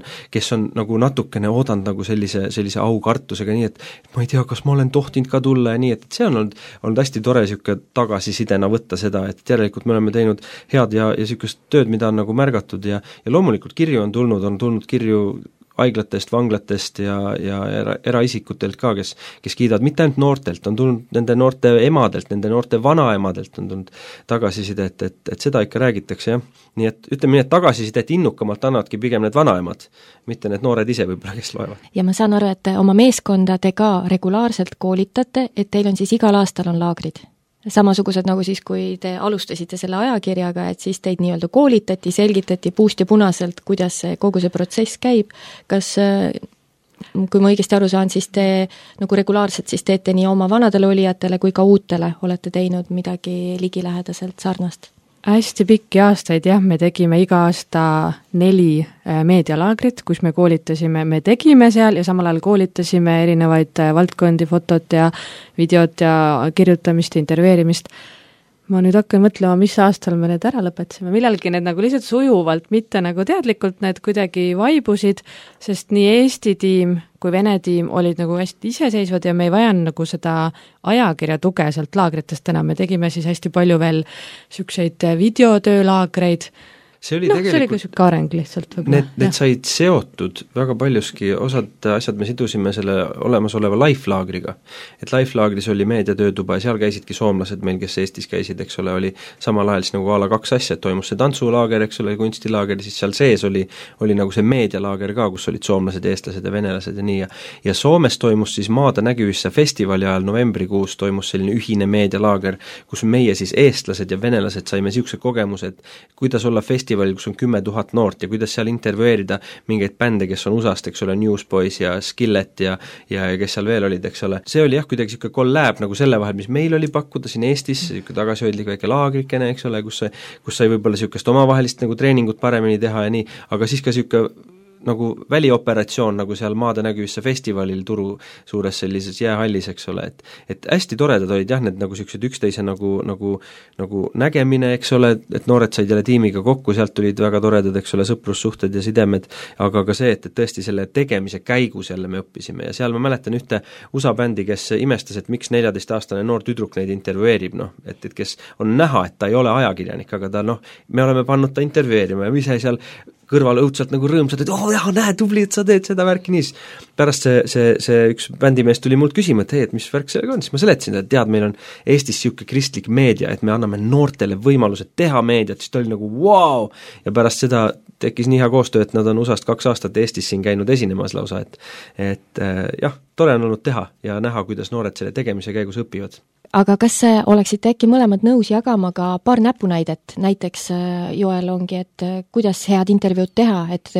A: on nagu natukene oodanud nagu sellise aukartusega, nii et ma ei tea, kas ma olen tohtinud ka tulla ja nii, et see on olnud hästi tore sihuke tagasisidena võtta seda, et järelikult me oleme teinud head ja niisugust tööd, mida on nagu märgatud ja loomulikult kirju on tulnud kirju haiglatest, vanglatest ja eraisikutelt ka, kes kiidavad mitte ainult noortelt, on tulnud nende noorte emadelt, nende noorte vanaemadelt on tulnud tagasiside, et seda ikka räägitakse, jah. Nii et ütleme nii, et tagasisidet innukamalt annavadki pigem need vanaemad, mitte need noored ise võib-olla, kes loevad.
B: Ja ma saan aru, et oma meeskonda te ka regulaarselt koolitate, et teil on siis igal aastal on laagrid. Samasugused nagu siis, kui te alustasite selle ajakirjaga, et siis teid nii-öelda koolitati, selgitati puust ja punaselt, kuidas kogu see protsess käib. Kas Kui ma õigesti aru saan, siis te nagu regulaarselt siis teete nii oma vanadele olijatele kui ka uutele olete teinud midagi ligilähedaselt sarnast?
C: Hästi pikki aastaid jah, me tegime iga aasta 4 meedialaagrit, kus me koolitasime, me tegime seal ja samal ajal koolitasime erinevaid valdkondi, fotot ja videot ja kirjutamist ja intervjueerimist. Ma nüüd hakkan mõtlema, mis aastal me need ära lõpetasime. Millalgi need nagu lihtsalt sujuvalt, mitte nagu teadlikult need kuidagi vaibusid, sest nii Eesti tiim kui Vene tiim olid nagu hästi iseseisvad ja me ei vajanud nagu seda ajakirja tuge sealt laagritest enam. Me tegime siis hästi palju veel sükseid videotöölaagreid.
A: See oli tegelikult
C: see oli ka areng lihtsalt.
A: Need said seotud väga paljuski, osad asjad me sidusime selle olemasoleva Life-laagriga. Et Life-laagris oli meediatöötuba ja seal käisidki soomlased meil, kes Eestis käisid, eks ole, oli samal ajal siis nagu ala 2 asja, et toimus see tantsulaager, eks ole, kunstilaager, siis seal sees oli nagu see meedialaager ka, kus olid soomlased, eestlased ja venelased ja nii. Ja Soomes toimus siis Maade nägevisse festivali ajal novembrikuus toimus selline ühine meedialaager, kus meie siis eestlased ja venelased saime siukse kogemuse, et kuidas olla festivalil, kus on 10 000 noort ja kuidas seal intervjueerida mingeid bände, kes on USA-st, eks ole, Newsboys ja Skillet ja kes seal veel olid, eks ole. See oli jah, kuidagi siuke kollääb nagu selle vahel, mis meil oli pakkuda siin Eestis, siuke tagasihoidlik väike laagrikene, eks ole, kus sai võib-olla siukest omavahelist nagu treeningut paremini teha ja nii, aga siis ka siuke nagu välioperatsioon nagu seal Maade nägevisse festivalil Turu suures sellises jäähallis, eks ole, et hästi toredad olid jah, need nagu siuksed üksteise nagu nägemine, eks ole, et noored said jälle tiimiga kokku, sealt tulid väga toredad, eks ole, sõprussuhted ja sidemed, aga ka see, et tõesti selle tegemise käigus jälle me õppisime ja seal ma mäletan ühte USA bändi, kes imestas, et miks 14-aastane noor tüdruk neid intervjueerib, et kes on näha, et ta ei ole ajakirjanik, aga ta me oleme pannud ta intervjueerima ja ise seal kõrval õudselt nagu rõõmsad, et näe, tubli, et sa teed seda värki niis. Pärast see üks bändimees tuli mult küsima, et hei, et mis värk sellega on, siis ma seletasin, et tead, meil on Eestis siuke kristlik meedia, et me anname noortele võimalused teha meediat, siis ta oli nagu wow! Ja pärast seda tekkis nii hea koostöö, et nad on USA-st 2 aastat Eestis siin käinud esinemas lausa, et jah, tore on olnud teha ja näha, kuidas noored selle tegemise käigus õpivad.
B: Aga kas oleksite äkki mõlemad nõus jagama ka paar näpunäidet, näiteks Joel ongi, et kuidas head intervjuud teha, et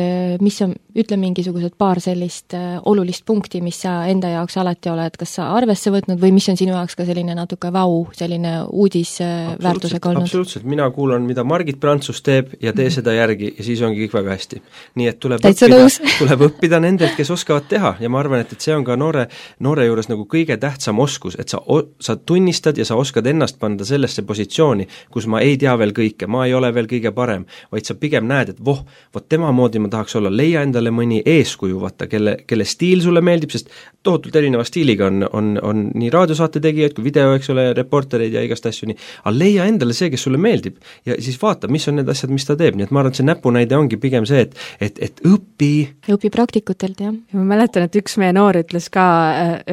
B: mis on, ütle mingisugused paar sellist olulist punkti, mis sa enda jaoks alati oled, kas sa arvesse võtnud või mis on sinu jaoks ka selline natuke selline uudisväärtusega olnud?
A: Absoluutselt, mina kuulan, mida Margit Prantsus teeb ja tee seda järgi ja siis ongi kõik väga hästi. Nii et tuleb õppida nendelt, kes oskavad teha ja ma arvan, et see on ka noore juures nagu kõige tähtsam oskus, et sa tunnistad ja sa oskad ennast panda sellesse positsiooni, kus ma ei tea veel kõike, ma ei ole veel kõige parem, vaid sa pigem näed, et vot tema moodi ma tahaks olla, leia endale mõni eeskuju, vaata, kelle stiil sulle meeldib, sest tohutult erineva stiiliga on nii raadiosaate tegijaid kui video, eks ole, reportereid ja igast asju nii, aga leia endale see, kes sulle meeldib ja siis vaata, mis on need asjad, mis ta teeb, nii et ma arvan, et see näpunäide ongi pigem see, et õpi
B: praktikutelt, jah.
C: Ma mäletan, et üks meie noor ütles ka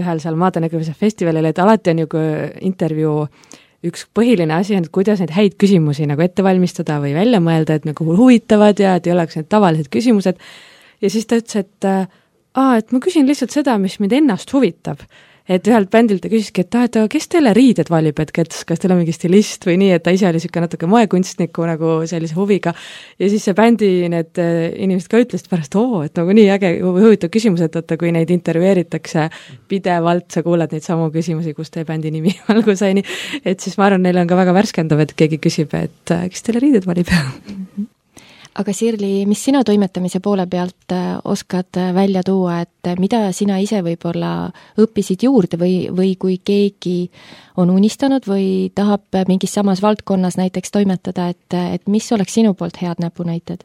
C: ühel seal Maade nägevise festivalil, et alati on ju intervjuu üks põhiline asi on, et kuidas neid häid küsimusi nagu ette valmistada või välja mõelda, et nagu huvitavad ja et ei oleks need tavalised küsimused. Ja siis ta ütles, et ma küsin lihtsalt seda, mis mind ennast huvitab. Et ühelt bändilt ta küsiski, et kes teile riided valib, et kas teil on mingi stilist või nii, et ta ise oli siuke natuke moekunstniku nagu sellise huviga. Ja siis see bändi need inimesed ka ütlesid pärast, et nagu nii äge huvitav küsimus, et kui neid intervjueeritakse pidevalt, sa kuuled neid samu küsimusi, kus teie bändi nimi algusaini, et siis ma arvan, neil on ka väga värskendav, et keegi küsib, et kes teile riided valib.
B: Aga Sirli, mis sina toimetamise poole pealt oskad välja tuua, et mida sina ise võib-olla õppisid juurde või kui keegi on unistanud või tahab mingis samas valdkonnas näiteks toimetada, et mis oleks sinu poolt head näpunäited?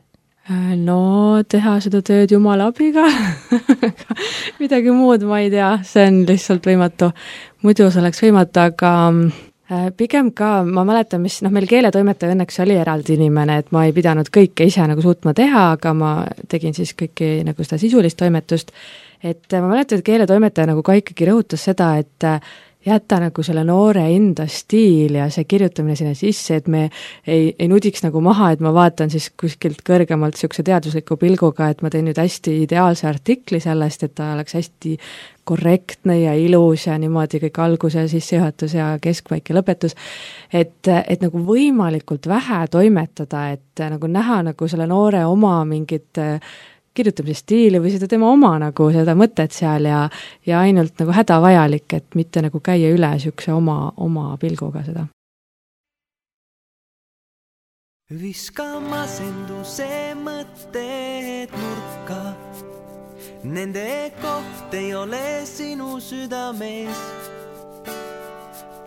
C: No, teha seda tööd Jumala abiga. Midagi muud ma ei tea, see on lihtsalt võimatu. Muidu see oleks võimatu, aga pigem ka, ma mäletan, mis meil keeletoimetaja õnneks oli eraldi inimene, et ma ei pidanud kõike ise nagu suutma teha, aga ma tegin siis kõiki nagu seda sisulist toimetust, et ma mäletan, et keeletoimetaja nagu ka ikkagi rõhutas seda, et jätta nagu selle noore enda stiil ja see kirjutamine sinna sisse, et me ei nudiks nagu maha, et ma vaatan siis kuskilt kõrgemalt siukse teadusliku pilguga, et ma teen nüüd hästi ideaalse artikli sellest, et ta oleks hästi korrektne ja ilus ja niimoodi kõik alguse, sissejuhatus ja keskpaik ja lõpetus, et nagu võimalikult vähe toimetada, et nagu näha nagu selle noore oma mingit kirjutamise stiili või seda tema oma nagu seda mõtet seal ja ainult nagu hädavajalik, et mitte nagu käia üle niisuguse oma pilguga seda.
D: Viska masenduse mõtted nurka, nende koht ei ole sinu südames.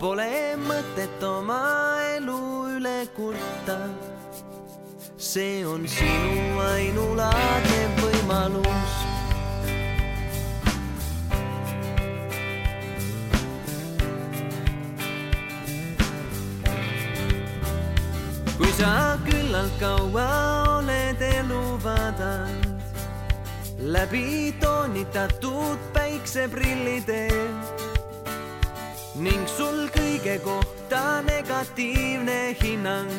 D: Pole mõtet oma elu üle kurta, see on sinu ainulaadne võimalus. Kui sa küllalt kaua oled elu vaadanud, läbi toonitatud päikseprillide ning sul kõige kohta negatiivne hinnang,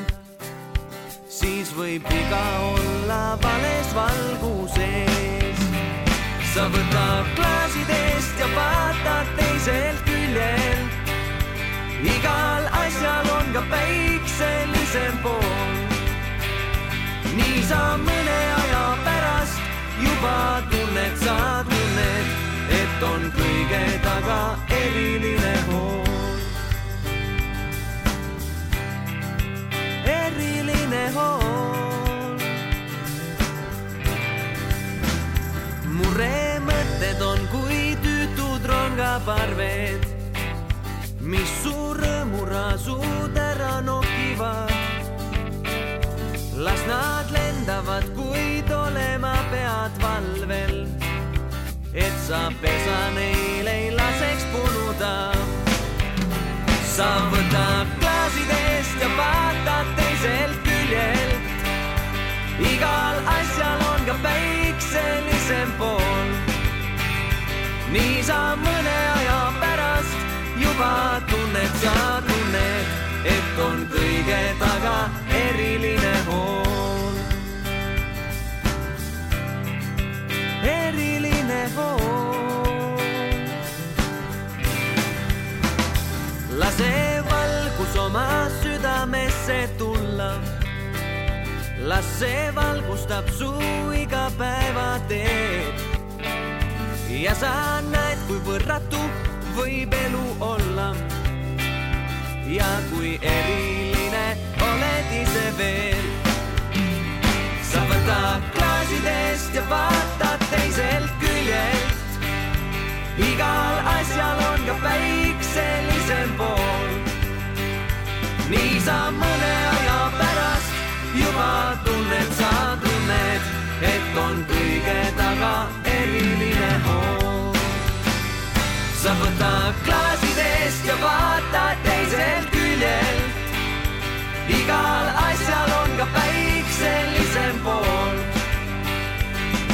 D: siis võib viga olla vales valguses. Sa võtad klaasidest ja vaatad teiselt küljelt, igal asjal on ka päikselisem pool. Nii sa mõne aja pärast juba tunned, et on kõige taga eriline hool. Eriline hool. Murre mõtted on kui tüütud rongaparved, mis su rõõmurasud ära nokivad. Las nad lendavad, kuid olema pead valvel, et sa pesa neil ei laseks punuda. Sa võtad klaasidest ja vaatad teiselt küljelt, igal asjal on ka päikselisem pool. Nii sa mõne aja pärast juba tunned, et on kõige taga eriline hool. Eriline hool. Lase valgus oma südamesse tulla, las see valgustab su igapäevateed ja sa näed, kui võrratu võib elu olla ja kui eriline oled ise veel. Sa võtad klaasidest ja vaatad teiselt küljelt, igal asjal on ka päikselisem pool. Nii sa mõne aja pärast juba tunned, et on kõige taga eriline hool. Sa võtad klaasidest ja vaatad teiselt küljelt, igal asjal on ka päikselisem pool.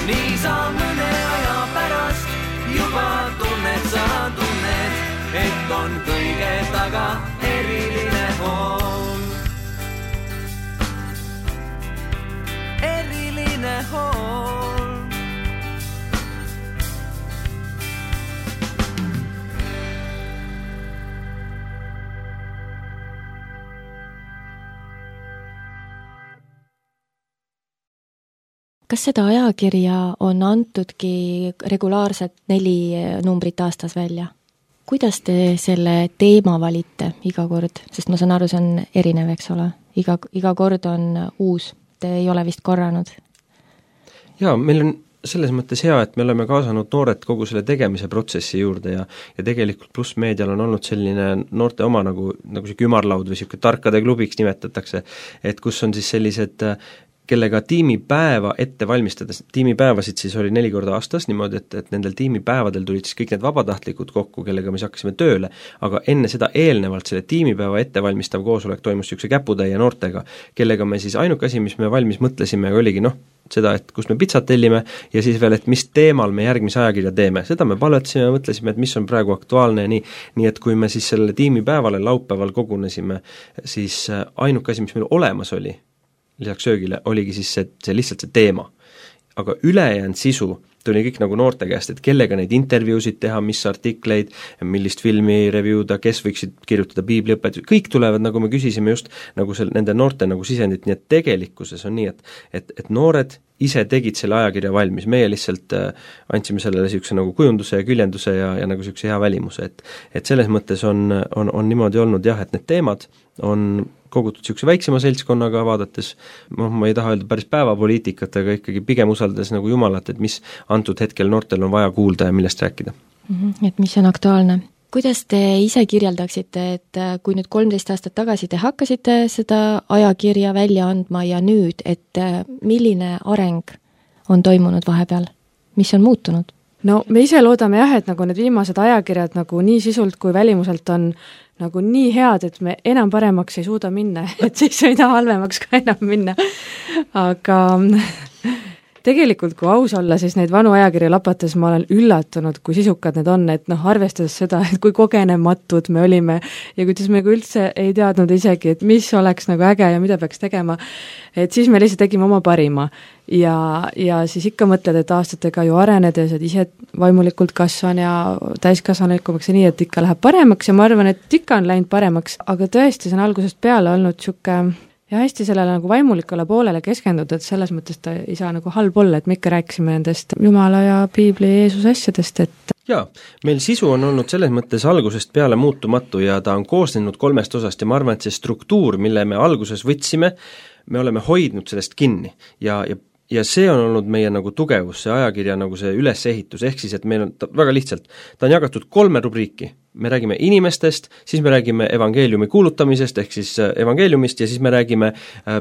D: Nii sa mõne aja pärast juba tunned, et on kõige taga eriline hool. Eriline hool.
B: Kas seda ajakirja on antudki regulaarselt 4 numbrit aastas välja? Kuidas te selle teema valite iga kord? Sest ma saan aru, see on erinev, eks ole. Iga kord on uus. Te ei ole vist korranud?
A: Jaa, meil on selles mõttes hea, et me oleme kaasanud noored kogu selle tegemise protsessi juurde ja tegelikult Pluss Meedial on olnud selline noorte oma nagu see kümarlaud või siuke tarkade klubiks nimetatakse, et kus on siis sellised kellega tiimipäeva ette valmistades, tiimipäevasid siis oli 4 korda aastas niimoodi, et nendel tiimipäevadel tulid siis kõik need vabatahtlikud kokku, kellega me siis hakkasime tööle, aga enne seda eelnevalt selle tiimipäeva ettevalmistav koosolek toimus niisuguse käputäie noortega, kellega me siis ainuke asi, mis me valmis mõtlesime, oligi seda, et kus me pitsat tellime ja siis veel, et mis teemal me järgmise ajakirja teeme. Seda me palvetasime ja mõtlesime, et mis on praegu aktuaalne ja nii, et kui me siis selle tiimipäevale laupäeval kogunesime, siis ainuke asi, mis meil olemas oli, lisaks söögile, oligi siis see lihtsalt see teema. aga ülejäänud sisu tuli kõik nagu noorte käest, et kellega neid intervjuusid teha, mis artikleid, millist filmi reviewda, kes võiksid kirjutada piibliõpetusi, kõik tulevad, nagu me küsisime just nagu nende noorte nagu sisendit, nii et tegelikkuses on nii, et noored ise tegid selle ajakirja valmis, meie lihtsalt andsime sellele niisuguse nagu kujunduse ja küljenduse ja nagu niisuguse hea välimuse, et selles mõttes on niimoodi olnud jah, et need teemad on kogutud niisuguse väiksema seltskonnaga vaadates, ma ei taha öelda päris päevapoliitikat, aga ikkagi pigem usaldades nagu Jumalat, et mis antud hetkel noortel on vaja kuulda ja millest rääkida.
B: Et mis on aktuaalne. Kuidas te ise kirjeldaksite, et kui nüüd 13 aastat tagasi te hakkasite seda ajakirja välja andma ja nüüd, et milline areng on toimunud vahepeal? Mis on muutunud?
C: No me ise loodame jah, et nagu need viimased ajakirjad nagu nii sisult kui välimuselt on nagu nii head, et me enam paremaks ei suuda minna, et siis ei taha halvemaks ka enam minna. Aga tegelikult, kui aus olla, siis neid vanu ajakirja lapates ma olen üllatunud, kui sisukad need on, et arvestades seda, et kui kogenematud me olime ja kuidas me üldse ei teadnud isegi, et mis oleks nagu äge ja mida peaks tegema, et siis me lihtsalt tegime oma parima. Ja siis ikka mõtled, et aastatega ju arenedes, et ise vaimulikult kasvan ja täiskasvanlikumaks ja nii, et ikka läheb paremaks ja ma arvan, et ikka on läinud paremaks, aga tõesti see on algusest peale olnud sihuke ja hästi sellele nagu vaimulikule poolele keskendunud, et selles mõttes ta ei saa nagu halb olla, et me ikka rääkisime nendest Jumala ja Piibli ja Jeesuse asjadest, et
A: jaa, meil sisu on olnud selles mõttes algusest peale muutumatu ja ta on koosnenud 3 osast ja ma arvan, et see struktuur, mille me alguses võtsime, me oleme hoidnud sellest kinni ja see on olnud meie nagu tugevus, see ajakirja nagu see ülesehitus, ehk siis, et meil on väga lihtsalt, ta on jagatud 3 rubriiki, me räägime inimestest, siis me räägime evangeeliumi kuulutamisest, ehk siis evangeeliumist ja siis me räägime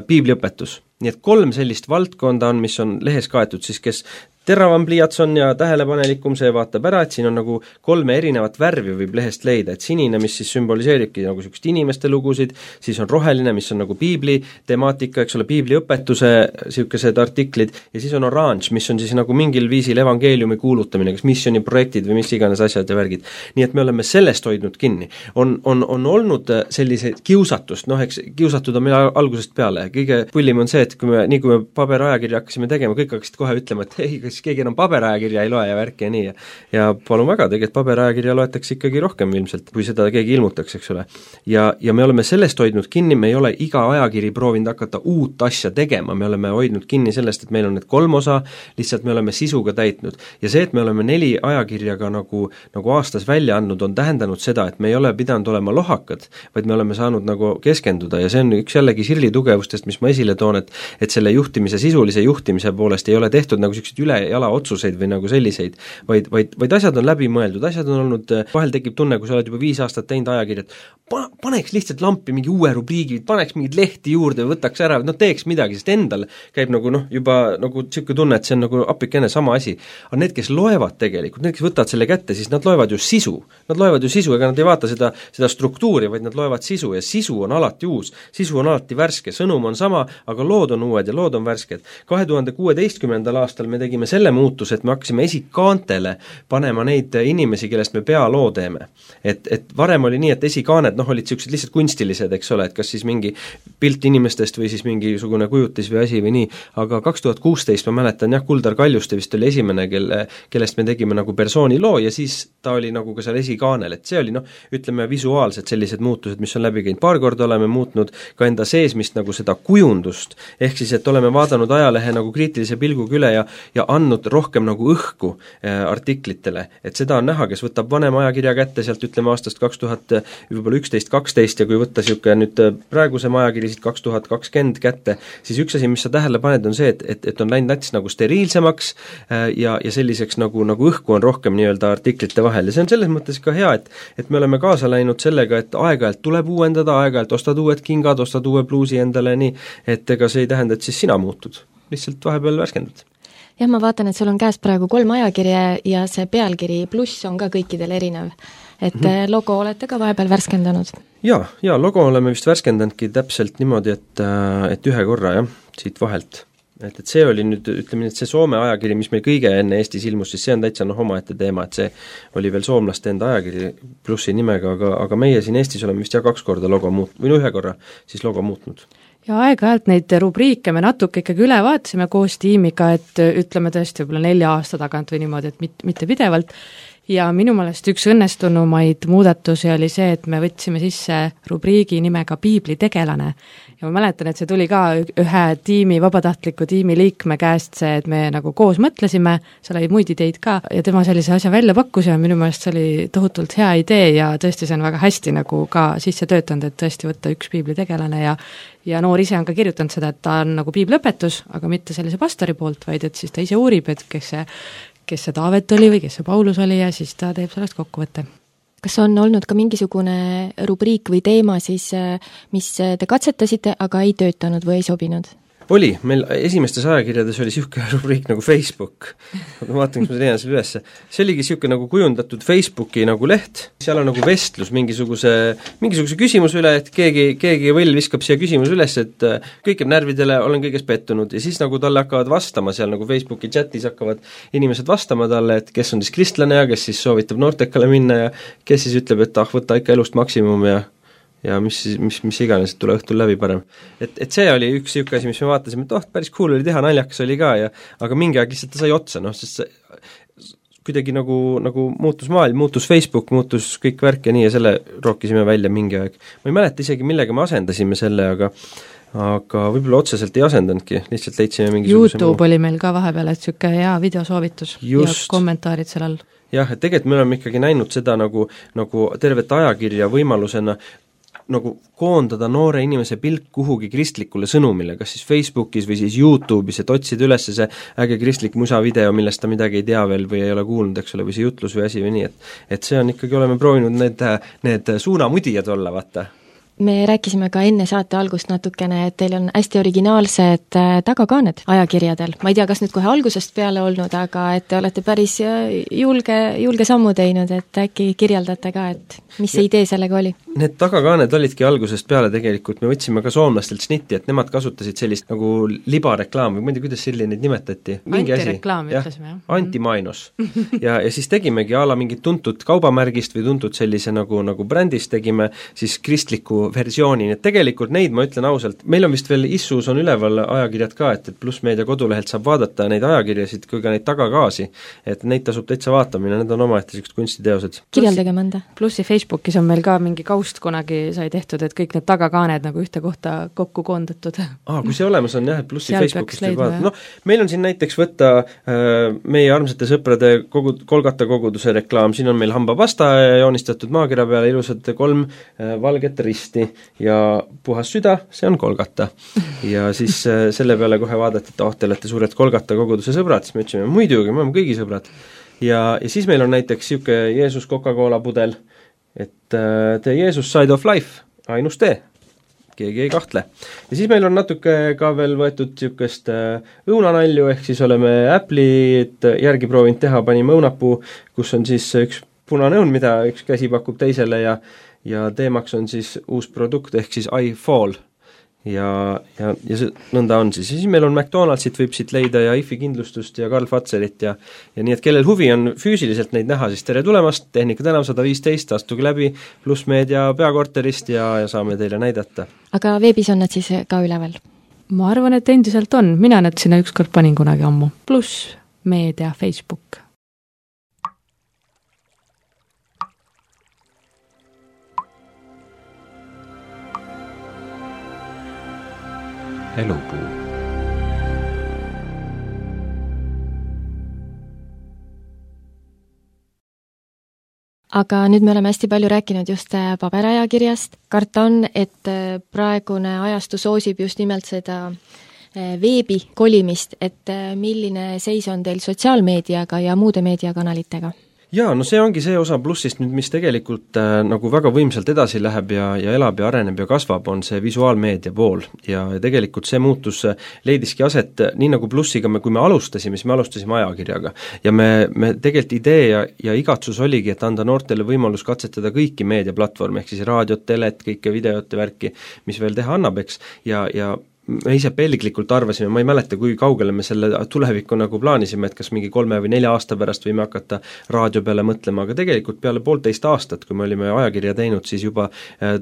A: piibliõpetus. Nii et 3 sellist valdkonda on, mis on lehes kaetud, siis kes teravam pliiats on ja tähelepanelikum, see vaatab ära, et siin on nagu 3 erinevat värvi võib lehest leida, et sinine, mis siis sümboliseeribki nagu niisugust inimeste lugusid, siis on roheline, mis on nagu piibli temaatika, eks ole, piibliõpetuse niisugused artiklid ja siis on oranž, mis on siis nagu mingil viisil evangeeliumi kuulutamine, kas missioniprojektid või mis iganes asjad ja värgid. Nii et me oleme sellest hoidnud kinni. On olnud selliseid kiusatust, eks kiusatud on meil algusest peale, kõige pullim on see, et kui me paberajakirja hakkasime tegema, kõik hakkasid kohe ütlema, et ei, kas keegi enam paberajakirja ei loe ja värki ja nii ja palun väga, tegelikult paberajakirja loetakse ikkagi rohkem ilmselt, kui seda keegi ilmutaks, eks ole. Ja me oleme sellest hoidnud kinni, me ei ole iga ajakiri proovinud hakata uut asja tegema, me oleme hoidnud kinni sellest, et meil on need 3 osa, lihtsalt me oleme sisuga täitnud. Ja see, et me oleme 4 ajakirjaga nagu aastas välja andnud, on tähendanud seda, et me ei ole pidanud olema lohakad, vaid me oleme saanud nagu keskenduda ja see on üks jällegi Sirli tugevustest, mis ma esile toon, et selle juhtimise, sisulise juhtimise poolest ei ole tehtud nagu sellised üle jala otsuseid või nagu selliseid, vaid asjad on läbi mõeldud, asjad on olnud, vahel tekib tunne, kui sa oled juba 5 aastat teinud ajakirjad, paneks lihtsalt lampi mingi uue rubriigi, paneks mingid lehti juurde, võtaks ära, teeks midagi, sest endal käib nagu juba nagu niisugune tunne, et see on nagu appikene sama asi. Aga need, kes loevad tegelikult, need, kes võtavad selle kätte, siis nad loevad ju sisu. Nad loevad ju sisu, ega nad ei vaata seda struktuuri, vaid nad loevad sisu ja sisu on alati uus, sisu on alati värske, sõnum on sama, aga lood on uued ja lood on värsked. 2016. aastal me tegime selle muutuse, et me hakkasime esikaantele panema neid inimesi, kellest me pealoo teeme. Et varem oli nii, et esikaaned olid niisugused lihtsalt kunstilised, eks ole, et kas siis mingi pilt inimestest või siis mingisugune kujutis või asi või nii, aga 2016 ma mäletan Kuldar Kaljuste vist oli esimene, kellest me tegime nagu persooni loo ja siis ta oli nagu ka seal esikaanel, et see oli ütleme visuaalselt sellised muutused, mis on läbi käinud. Paar korda oleme muutnud ka enda seesmist nagu seda kujundust, ehk siis, et oleme vaadanud ajalehe nagu kriitilise pilguga üle ja andnud rohkem nagu õhku artiklitele, et seda on näha, kes võtab vanem ajakirja kätte sealt ütleme aastast 2011-12 ja kui võtta siuke nüüd praeguse ajakiri siit 2020 kätte, siis üks asi, mis sa tähele paned, on see, et on läinud nats nagu steriilsemaks ja selliseks nagu õhku on rohkem nii-öelda artiklite vahel ja see on selles mõttes ka hea, et me oleme kaasa läinud sellega, et aeg-ajalt tuleb uuendada, aeg-ajalt ostad uued kingad, ostad uue pluusi endale, nii, et ega see ei tähenda, et siis sina muutud, lihtsalt vahepeal värskendud.
B: Jah, ma vaatan, et sul on käes praegu 3 ajakirja ja see pealkiri pluss on ka kõikidel erinev. Et logo olete ka vahepeal värskendanud?
A: Ja logo oleme vist värskendanudki täpselt niimoodi, et ühe korra siit vahelt. Et see oli nüüd, ütleme nii, et see Soome ajakiri, mis meil kõige enne Eestis ilmus, siis see on täitsa omaette teema, et see oli veel soomlaste enda ajakiri plussi nimega, aga meie siin Eestis oleme vist 2 korda logo muutnud, või 1 korra siis logo muutnud.
C: ja aeg-ajalt neid rubriike me natuke ikkagi üle vaatasime koos tiimiga, et ütleme tõesti võib-olla 4 aasta tagant või niimoodi, et mitte pidevalt, ja minu meelest üks õnnestunumaid muudatusi oli see, et me võtsime sisse rubriigi nimega Piibli tegelane. Ja ma mäletan, et see tuli ka ühe tiimi, vabatahtliku tiimi liikme käest see, et me nagu koos mõtlesime, seal oli muid ideid ka, ja tema sellise asja välja pakkus ja minu meelest see oli tohutult hea idee ja tõesti see on väga hästi nagu ka sisse töötanud, et tõesti võtta üks Piibli tegelane ja noor ise on ka kirjutanud seda, et ta on nagu piibliõpetus, aga mitte sellise pastori poolt, vaid et siis ta ise uurib, et kes see Taavet oli või kes see Paulus oli ja siis ta teeb sellest kokkuvõtte.
B: Kas on olnud ka mingisugune rubriik või teema siis, mis te katsetasite, aga ei töötanud või ei sobinud?
A: Oli, meil esimestes ajakirjades oli niisugune rubriik nagu Facebook. Ma vaatan, kus ma leian selle üles. See oligi niisugune nagu kujundatud Facebooki nagu leht, seal on nagu vestlus mingisuguse küsimuse üle, et keegi võll viskab siia küsimuse üles, et kõik jääb närvidele, olen kõiges pettunud ja siis nagu talle hakkavad vastama, seal nagu Facebooki chatis hakkavad inimesed vastama talle, et kes on siis kristlane ja kes siis soovitab noortekale minna ja kes siis ütleb, et võta ikka elust maksimum ja mis iganes, et tule õhtul läbi parem. Et see oli üks niisugune asi, mis me vaatasime, et päris cool oli teha, naljakas oli ka aga mingi aeg lihtsalt ta sai otsa, sest kuidagi nagu muutus maailm, muutus Facebook, muutus kõik värk ja nii ja selle rookisime välja mingi aeg. Ma ei mäleta isegi, millega me asendasime selle, aga võib-olla otseselt ei asendanudki, lihtsalt leidsime mingisuguse
C: YouTube oli meil ka vahepeal, et niisugune hea videosoovitus ja kommentaarid seal all.
A: Jah, et tegelikult me oleme ikkagi näinud seda nagu tervet ajakirja võimalusena nagu koondada noore inimese pilk kuhugi kristlikule sõnumile, kas siis Facebookis või siis YouTube'is, et otsida üles see äge kristlik musavideo, millest ta midagi ei tea veel või ei ole kuulnud, eks ole, või see jutlus või asi või nii, et see on ikkagi, oleme proovinud need suunamudijad olla, vaata.
B: Me rääkisime ka enne saate algust natukene, et teil on hästi originaalsed tagakaaned ajakirjadel. Ma ei tea, kas nüüd kohe algusest peale olnud, aga et te olete päris julge sammu teinud, et äkki kirjeldate ka, et mis see idee sellega oli?
A: Need tagakaaned olidki algusest peale tegelikult, me võtsime ka soomlastelt snitti, et nemad kasutasid sellist nagu libareklaam või ma ei tea, kuidas selline neid nimetati.
C: Antireklaam ütlesime, jah.
A: Antimainos. ja siis tegimegi ala mingit tuntud kaubamärgist või tuntud sellise nagu brändist tegime siis kristliku versiooni, nii et tegelikult neid, ma ütlen ausalt, meil on vist veel Issus on üleval ajakirjad ka, et Pluss Meedia kodulehelt saab vaadata neid ajakirjasid kui ka neid tagakaasi, et neid tasub täitsa vaatamine, need on omaette sellised kunstiteosed.
B: Kirjeldage mõnda.
C: Plussi Facebookis on meil ka mingi kaust kunagi sai tehtud, et kõik need tagakaaned nagu ühte kohta kokku koondatud.
A: Kui see olemas on jah, et Plussi Facebookist võib vaadata. Meil on siin näiteks võtta meie armsate sõprade Kolgata koguduse reklaam, siin on meil hambapasta joonistatud maakera peale ilusad 3 valget risti ja puhas süda, see on Kolgata. Ja siis selle peale kohe vaadati, et te olete suured Kolgata koguduse sõbrad, siis me ütlesime, muidugi, me oleme kõigi sõbrad. Ja siis meil on näiteks niisugune Jeesus Coca-Cola pudel, et The Jesus Side of Life, ainus tee, keegi ei kahtle. Ja siis meil on natuke ka veel võetud niisugust õunanalju, ehk siis oleme Apple'it järgi proovinud teha, panime õunapuu, kus on siis üks punane õun, mida üks käsi pakub teisele ja teemaks on siis uus produkt, ehk siis iFall ja see nõnda on siis. Ja siis meil on McDonaldsit võib siit leida ja IFI kindlustust ja Karl Fatserit ja nii, et kellel huvi on füüsiliselt neid näha, siis tere tulemast, Tehnika tänav 115, astuge läbi Pluss Meedia peakorterist ja saame teile näidata.
B: Aga veebis on nad siis ka üleval?
C: Ma arvan, et endiselt on, mina need sinna ükskord panin kunagi ammu. Pluss Meedia Facebook.
E: Elupuu.
B: Aga nüüd me oleme hästi palju rääkinud just paberajakirjast. Karta on, et praegune ajastu soosib just nimelt seda veebi kolimist, et milline seis on teil sotsiaalmeediaga ja muude meediakanalitega?
A: Jaa, no see ongi see osa plussist nüüd, mis tegelikult nagu väga võimsalt edasi läheb ja elab ja areneb ja kasvab, on see visuaalmeedia pool ja tegelikult see muutus leidiski aset nii nagu plussiga, kui me alustasime, siis me alustasime ajakirjaga ja me tegelikult idee ja igatsus oligi, et anda noortele võimalus katsetada kõiki meediaplatvorme, ehk siis raadiot, telet, kõike videot ja värki, mis veel teha annab, eks, ja me ise pelglikult arvasime, ma ei mäleta, kui kaugele me selle tulevikku nagu plaanisime, et kas mingi 3 või 4 aasta pärast võime hakata raadio peale mõtlema, aga tegelikult peale 1,5 aastat, kui me olime ajakirja teinud, siis juba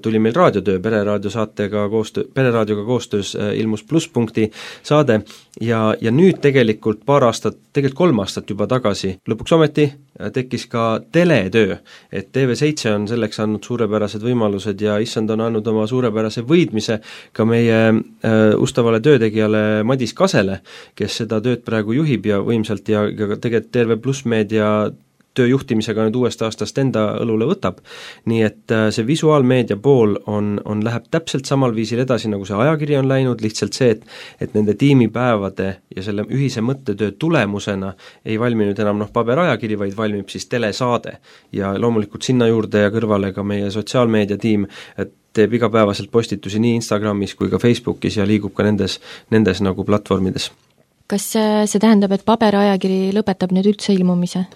A: tuli meil raadiotöö, Pereraadioga koostöös ilmus Plusspunkti saade ja nüüd tegelikult 3 aastat juba tagasi lõpuks ometi tekkis ka teletöö, et TV7 on selleks andnud suurepärased võimalused ja issand on andnud oma suurepärase võidmise ka meie ustavale töötegijale Madis Kasele, kes seda tööd praegu juhib ja võimsalt ja tegelikult terve Plussmeedia tööjuhtimisega nüüd uuest aastast enda õlule võtab. Nii et see visuaalmeedia pool läheb täpselt samal viisil edasi, nagu see ajakiri on läinud, lihtsalt see, et nende tiimipäevade ja selle ühise mõttetöö tulemusena ei valmi nüüd enam paberajakiri, vaid valmib siis telesaade. Ja loomulikult sinna juurde ja kõrvale ka meie sotsiaalmeedia tiim, et teeb igapäevaselt postitusi nii Instagramis kui ka Facebookis ja liigub ka nendes nagu platvormides.
B: Kas see tähendab, et paberajakiri lõpetab nüüd üldse ilmumise?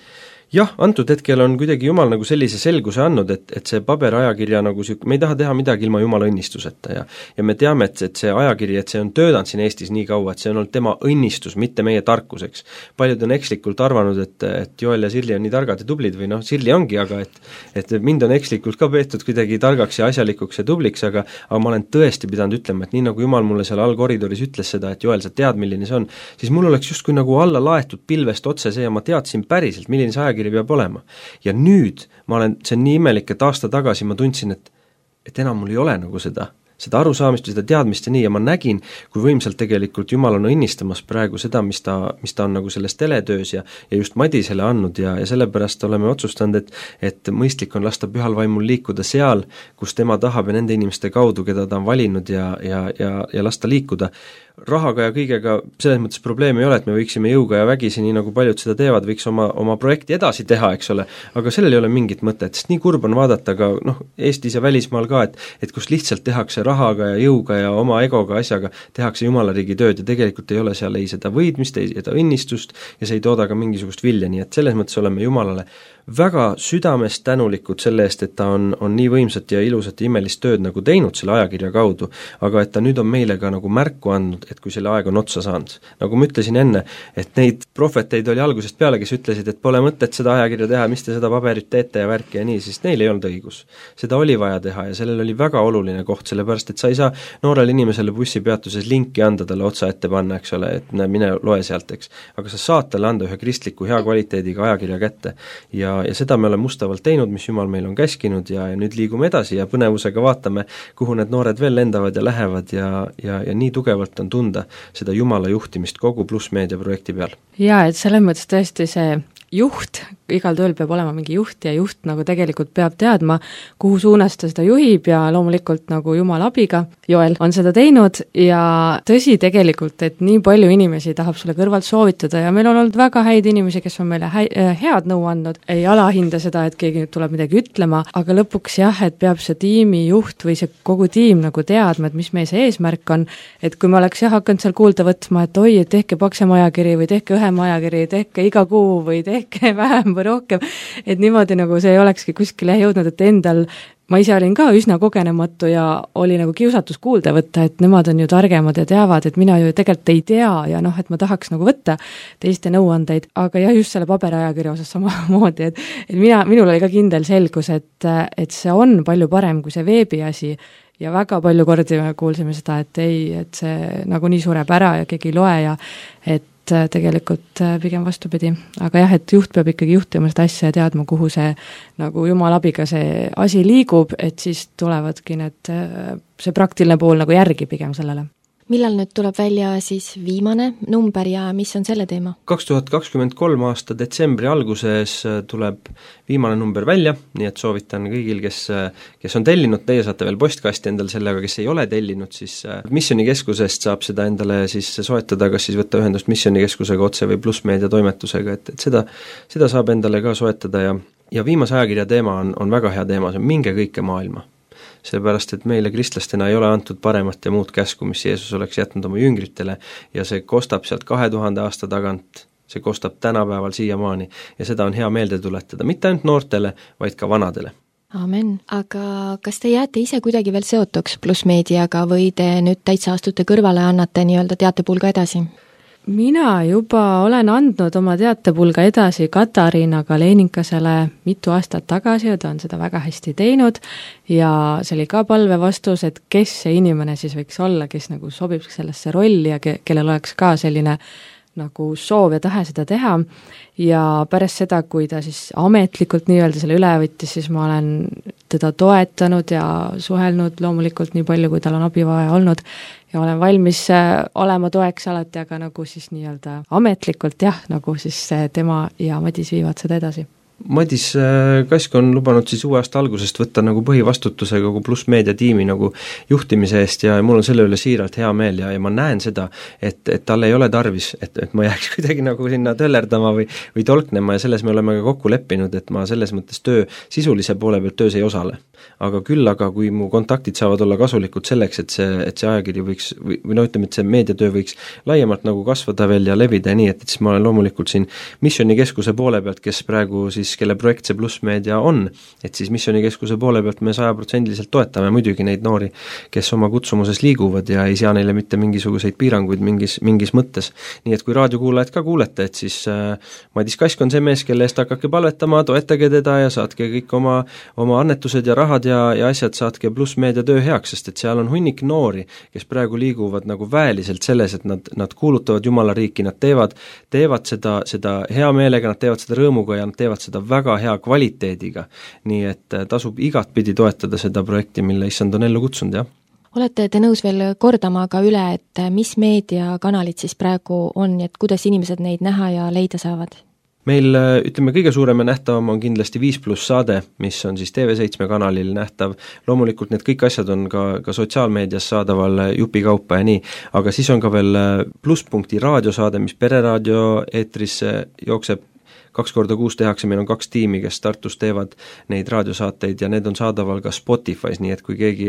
A: Jah, antud hetkel on kuidagi Jumal nagu sellise selguse andnud, et see paberajakirja nagu me ei taha teha midagi ilma Jumala õnnistuseta ja me teame, et see ajakiri, et see on töötanud siin Eestis nii kaua, et see on olnud tema õnnistus, mitte meie tarkuseks. Paljud on ekslikult arvanud, et Joel ja Sirli on nii targad ja tublid või Sirli ongi, aga et mind on ekslikult ka peetud kuidagi targaks ja asjalikuks ja tubliks, aga ma olen tõesti pidanud ütlema, et nii nagu Jumal mulle seal all koridoris ütles seda, et Joel, sa tead, milline see on, siis mul oleks justkui nagu alla laetud pilvest otse see ja ma teadsin päriselt, milline see ajakiri peab olema. Ja nüüd see on nii imelik, et aasta tagasi ma tundsin, et enam mul ei ole nagu seda arusaamist või seda teadmist ja nii, ja ma nägin, kui võimsalt tegelikult Jumal on õnnistamas praegu seda, mis ta on nagu selles teletöös ja just Madisele andnud ja sellepärast oleme otsustanud, et mõistlik on lasta Pühal Vaimul liikuda seal, kus tema tahab ja nende inimeste kaudu, keda ta on valinud ja lasta liikuda. Rahaga ja kõigega selles mõttes probleemi ei ole, et me võiksime jõuga ja vägisi, nii nagu paljud seda teevad, võiks oma projekti edasi teha, eks ole, aga sellel ei ole mingit mõtet, sest nii kurb on vaadata ka Eestis ja välismaal ka, et kus lihtsalt tehakse rahaga ja jõuga ja oma egoga asjaga, tehakse Jumala riigi tööd ja tegelikult ei ole seal ei seda võidmist, ei seda õnnistust ja see ei tooda ka mingisugust vilja, nii et selles mõttes oleme Jumalale väga südamest tänulikud selle eest, et ta on nii võimsat ja ilusat ja imelist tööd nagu teinud selle ajakirja kaudu, aga et ta nüüd on meile ka nagu märku andnud, et kui selle aeg on otsa saanud. Nagu ma ütlesin enne, et neid prohveteid oli algusest peale, kes ütlesid, et pole mõtet seda ajakirja teha, mis te seda paberit teete ja värki ja nii, siis neil ei olnud õigus. Seda oli vaja teha ja sellel oli väga oluline koht, sellepärast et sa ei saa noorele inimesele bussipeatuses linki anda talle otsa ette panna, eks ole, et mine loe sealt, eks. Aga sa saad talle anda ühe kristliku hea kvaliteediga ajakirja kätte ja seda me oleme mustavalt teinud, mis Jumal meil on käskinud ja nüüd liigume edasi ja põnevusega vaatame, kuhu need noored veel lendavad ja lähevad ja nii tugevalt on tunda seda Jumala juhtimist kogu Plussmeedia projekti peal.
C: Jaa, et selles mõttes tõesti see juht, igal tööl peab olema mingi juht ja juht nagu tegelikult peab teadma, kuhu suunas ta seda juhib ja loomulikult nagu Jumala abiga, Joel on seda teinud ja tõsi tegelikult, et nii palju inimesi tahab sulle kõrvalt soovitada ja meil on olnud väga häid inimesi, kes on meile head nõu andnud, ei alahinda seda, et keegi nüüd tuleb midagi ütlema, aga lõpuks jah, et peab see tiimi juht või see kogu tiim nagu teadma, et mis meie see eesmärk on, et kui me oleks hakanud seal kuulda võtma, et oi, et tehke paksem ajakiri või tehke õhem ajakiri, tehke iga kuu või tehke vähem või rohkem, et niimoodi nagu see ei olekski kuskile jõudnud, et endal ma ise olin ka üsna kogenematu ja oli nagu kiusatus kuulda võtta, et nemad on ju targemad ja teavad, et mina ju tegelikult ei tea ja et ma tahaks nagu võtta teiste nõuandeid, aga jah, just selle paberajakirja osas samamoodi, et minul oli ka kindel selgus, et see on palju parem kui see veebiasi ja väga palju kordi me kuulsime seda, et ei, et see nagu nii sureb ära ja keegi ei loe ja et tegelikult pigem vastupidi. Aga jah, et juht peab ikkagi juhtima seda asja ja teadma, kuhu see nagu Jumala abiga see asi liigub, et siis tulevadki see praktiline pool nagu järgi pigem sellele.
B: Millal nüüd tuleb välja siis viimane number ja mis on selle teema?
A: 2023 aasta detsembri alguses tuleb viimane number välja, nii et soovitan kõigil, kes on tellinud, teie saate veel postkasti endal sellega, kes ei ole tellinud, siis Missionikeskusest saab seda endale siis soetada, kas siis võtta ühendust Missionikeskusega otse või Plussmeedia toimetusega, et seda saab endale ka soetada ja viimase ajakirja teema on väga hea teema, see on minge kõike maailma. Sellepärast, et meile kristlastena ei ole antud paremat ja muud käsku, mis Jeesus oleks jätnud oma jüngritele ja see kostab sealt 2000 aasta tagant, see kostab tänapäeval siiamaani ja seda on hea meelde tuletada, mitte ainult noortele, vaid ka vanadele.
B: Aamen. Aga kas te jääte ise kuidagi veel seotuks plussmeediaga või te nüüd täitsa astute kõrvale, annate nii-öelda teatepulga edasi?
C: Mina juba olen andnud oma teatepulga edasi Katariina Kaleninkasele mitu aastat tagasi ja ta on seda väga hästi teinud ja see oli ka palvevastus, et kes see inimene siis võiks olla, kes nagu sobib sellesse rolli ja kellel oleks ka selline nagu soov ja tahe seda teha ja pärast seda, kui ta siis ametlikult nii-öelda selle üle võttis, siis ma olen teda toetanud ja suhelnud loomulikult nii palju, kui tal on abi vaja olnud ja olen valmis olema toeks alati, aga nagu siis nii-öelda ametlikult jah, nagu siis tema ja Madis viivad seda edasi.
A: Madis Kask on lubanud siis uue aasta algusest võtta nagu põhivastutuse kogu plussmeedia tiimi nagu juhtimise eest ja mul on selle üle siiralt hea meel ja ma näen seda, et tal ei ole tarvis, et ma jääks kuidagi nagu sinna töllerdama või tolknema ja selles me oleme ka kokku leppinud, et ma selles mõttes sisulise poole pealt töös ei osale. Aga küll, kui mu kontaktid saavad olla kasulikud selleks, et see ajakiri võiks või no ütleme, et see meediatöö võiks laiemalt nagu kasvada veel ja levida ja nii, et siis ma olen loomulikult siin Missionikeskuse poole pealt, kes praegu siis kelle projekt see plussmeedia on, et siis Missionikeskuse poole pealt me 100% toetame muidugi neid noori, kes oma kutsumuses liiguvad ja ei sea neile mitte mingisuguseid piiranguid mingis mõttes. Nii et kui raadiokuulajad ka kuulete, et siis Madis Kask on see mees, kelle eest hakake palvetama, toetage teda ja saatke kõik oma annetused ja rahad ja asjad saatke plussmeedia töö heaks, sest et seal on hunnik noori, kes praegu liiguvad nagu väeliselt selles, et nad kuulutavad Jumala riiki, nad teevad seda hea meelega, nad teevad seda rõõmuga ja nad teevad seda väga hea kvaliteediga, nii et tasub igatpidi toetada seda projekti, mille issand on ellu kutsunud, jah.
B: Olete te nõus veel kordama ka üle, et mis meediakanalid siis praegu on ja et kuidas inimesed neid näha ja leida saavad?
A: Meil, ütleme, kõige suurem ja nähtavam on kindlasti 5+ saade, mis on siis TV7 kanalil nähtav, loomulikult need kõik asjad on ka sotsiaalmeedias saadaval jupikaupa ja nii, aga siis on ka veel Plusspunkti raadiosaade, mis Pereraadio eetrisse jookseb 2 korda kuus tehakse, meil on 2 tiimi, kes Tartus teevad neid raadiosaateid ja need on saadaval ka Spotify's, nii et kui keegi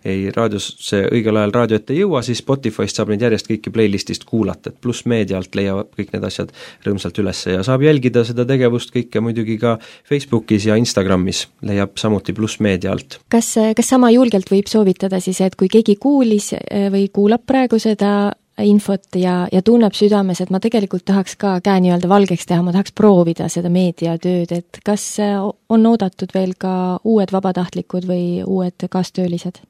A: ei raadiosse õigel ajal raadio ette ei jõua, siis Spotify'st saab neid järjest kõiki playlistist kuulata, et plussmeedialt leiavad kõik need asjad rõõmsalt üles ja saab jälgida seda tegevust kõike muidugi ka Facebookis ja Instagramis, leiab samuti plussmeedia alt.
B: Kas sama julgelt võib soovitada siis, et kui keegi kuulis või kuulab praegu seda infot ja tunneb südames, et ma tegelikult tahaks ka käe nii-öelda valgeks teha, ma tahaks proovida seda meediatööd, et kas on oodatud veel ka uued vabatahtlikud või uued kaastöölised?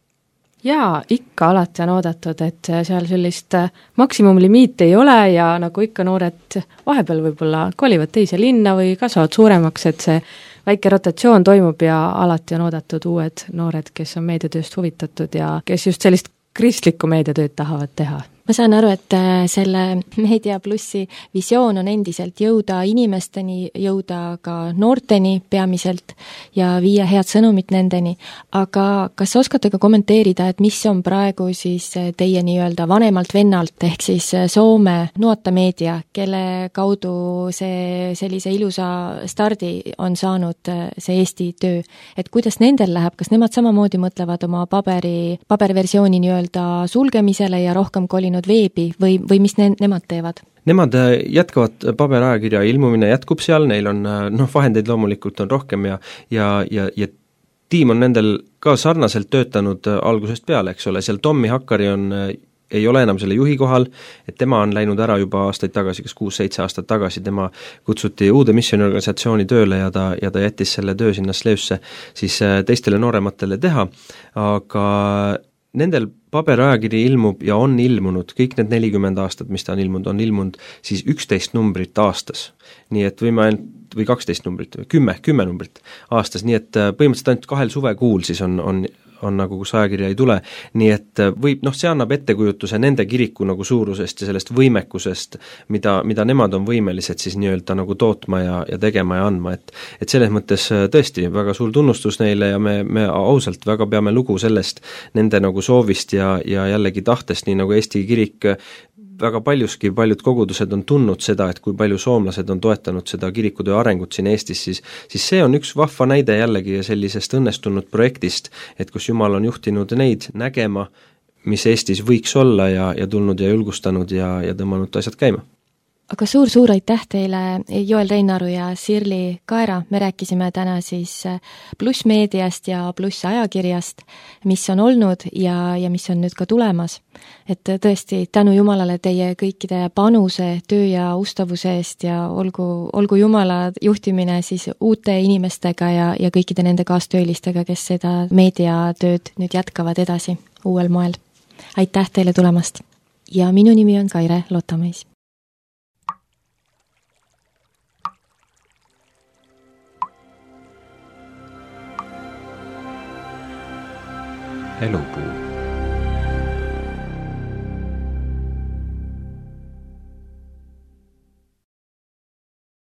C: Jaa, ikka alati on oodatud, et seal sellist maksimumlimiiti ei ole ja nagu ikka noored vahepeal võib-olla kolivad teise linna või kasvavad suuremaks, et see väike rotatsioon toimub ja alati on oodatud uued noored, kes on meediatööst huvitatud ja kes just sellist kristlikku meediatööd tahavad teha.
B: Ma saan aru, et selle Meedia Plussi visioon on endiselt jõuda inimesteni, jõuda ka noorteni peamiselt ja viia head sõnumit nendeni, aga kas oskate ka kommenteerida, et mis on praegu siis teie nii-öelda vanemalt vennalt ehk siis Soome Nuotta Meedia, kelle kaudu see sellise ilusa stardi on saanud see Eesti töö, et kuidas nendel läheb, kas nemad samamoodi mõtlevad oma paberversiooni nii-öelda sulgemisele ja rohkem kolinud veebi või mis nemad teevad?
A: Nemad jätkavad paberajakirja ilmumine jätkub seal, neil on vahendeid loomulikult on rohkem ja tiim on nendel ka sarnaselt töötanud algusest peale, eks ole, seal Tommi Hakkari ei ole enam selle juhi kohal, et tema on läinud ära juba aastaid tagasi, kas 6-7 aastat tagasi, tema kutsuti uude missioniorganisatsiooni tööle ja ta jättis selle töö sinna Slevsse siis teistele noorematele teha, aga nendel paberajakiri ilmub ja on ilmunud, kõik need 40 aastat, mis ta on ilmunud siis 11 numbrit aastas. Nii et võime ainult, või 12 numbrit, 10 numbrit aastas, nii et põhimõtteliselt ainult 2 suvekuul siis on nagu, kus ajakirja ei tule, nii et võib, see annab ettekujutuse nende kiriku nagu suurusest ja sellest võimekusest, mida nemad on võimelised siis nii-öelda nagu tootma ja tegema ja andma, et selles mõttes tõesti väga suur tunnustus neile ja me ausalt väga peame lugu sellest nende nagu soovist ja jällegi tahtest, nii nagu Eesti kirik väga paljuski, paljud kogudused on tundnud seda, et kui palju soomlased on toetanud seda kirikutöö arengut siin Eestis, siis see on üks vahva näide jällegi sellisest õnnestunud projektist, et kus Jumal on juhtinud neid nägema, mis Eestis võiks olla ja tulnud ja julgustanud ja tõmmanud asjad käima.
B: aga suur-suur aitäh teile, Joel Reinaru ja Sirli Kaera, me rääkisime täna siis Pluss meediast ja Pluss ajakirjast, mis on olnud ja mis on nüüd ka tulemas. Et tõesti, tänu Jumalale teie kõikide panuse, töö ja ustavuse eest ja olgu Jumala juhtimine siis uute inimestega ja kõikide nende kaastöölistega, kes seda meediatööd nüüd jätkavad edasi uuel moel. Aitäh teile tulemast! Ja minu nimi on Kaire Lottamõis.
E: Elupuu.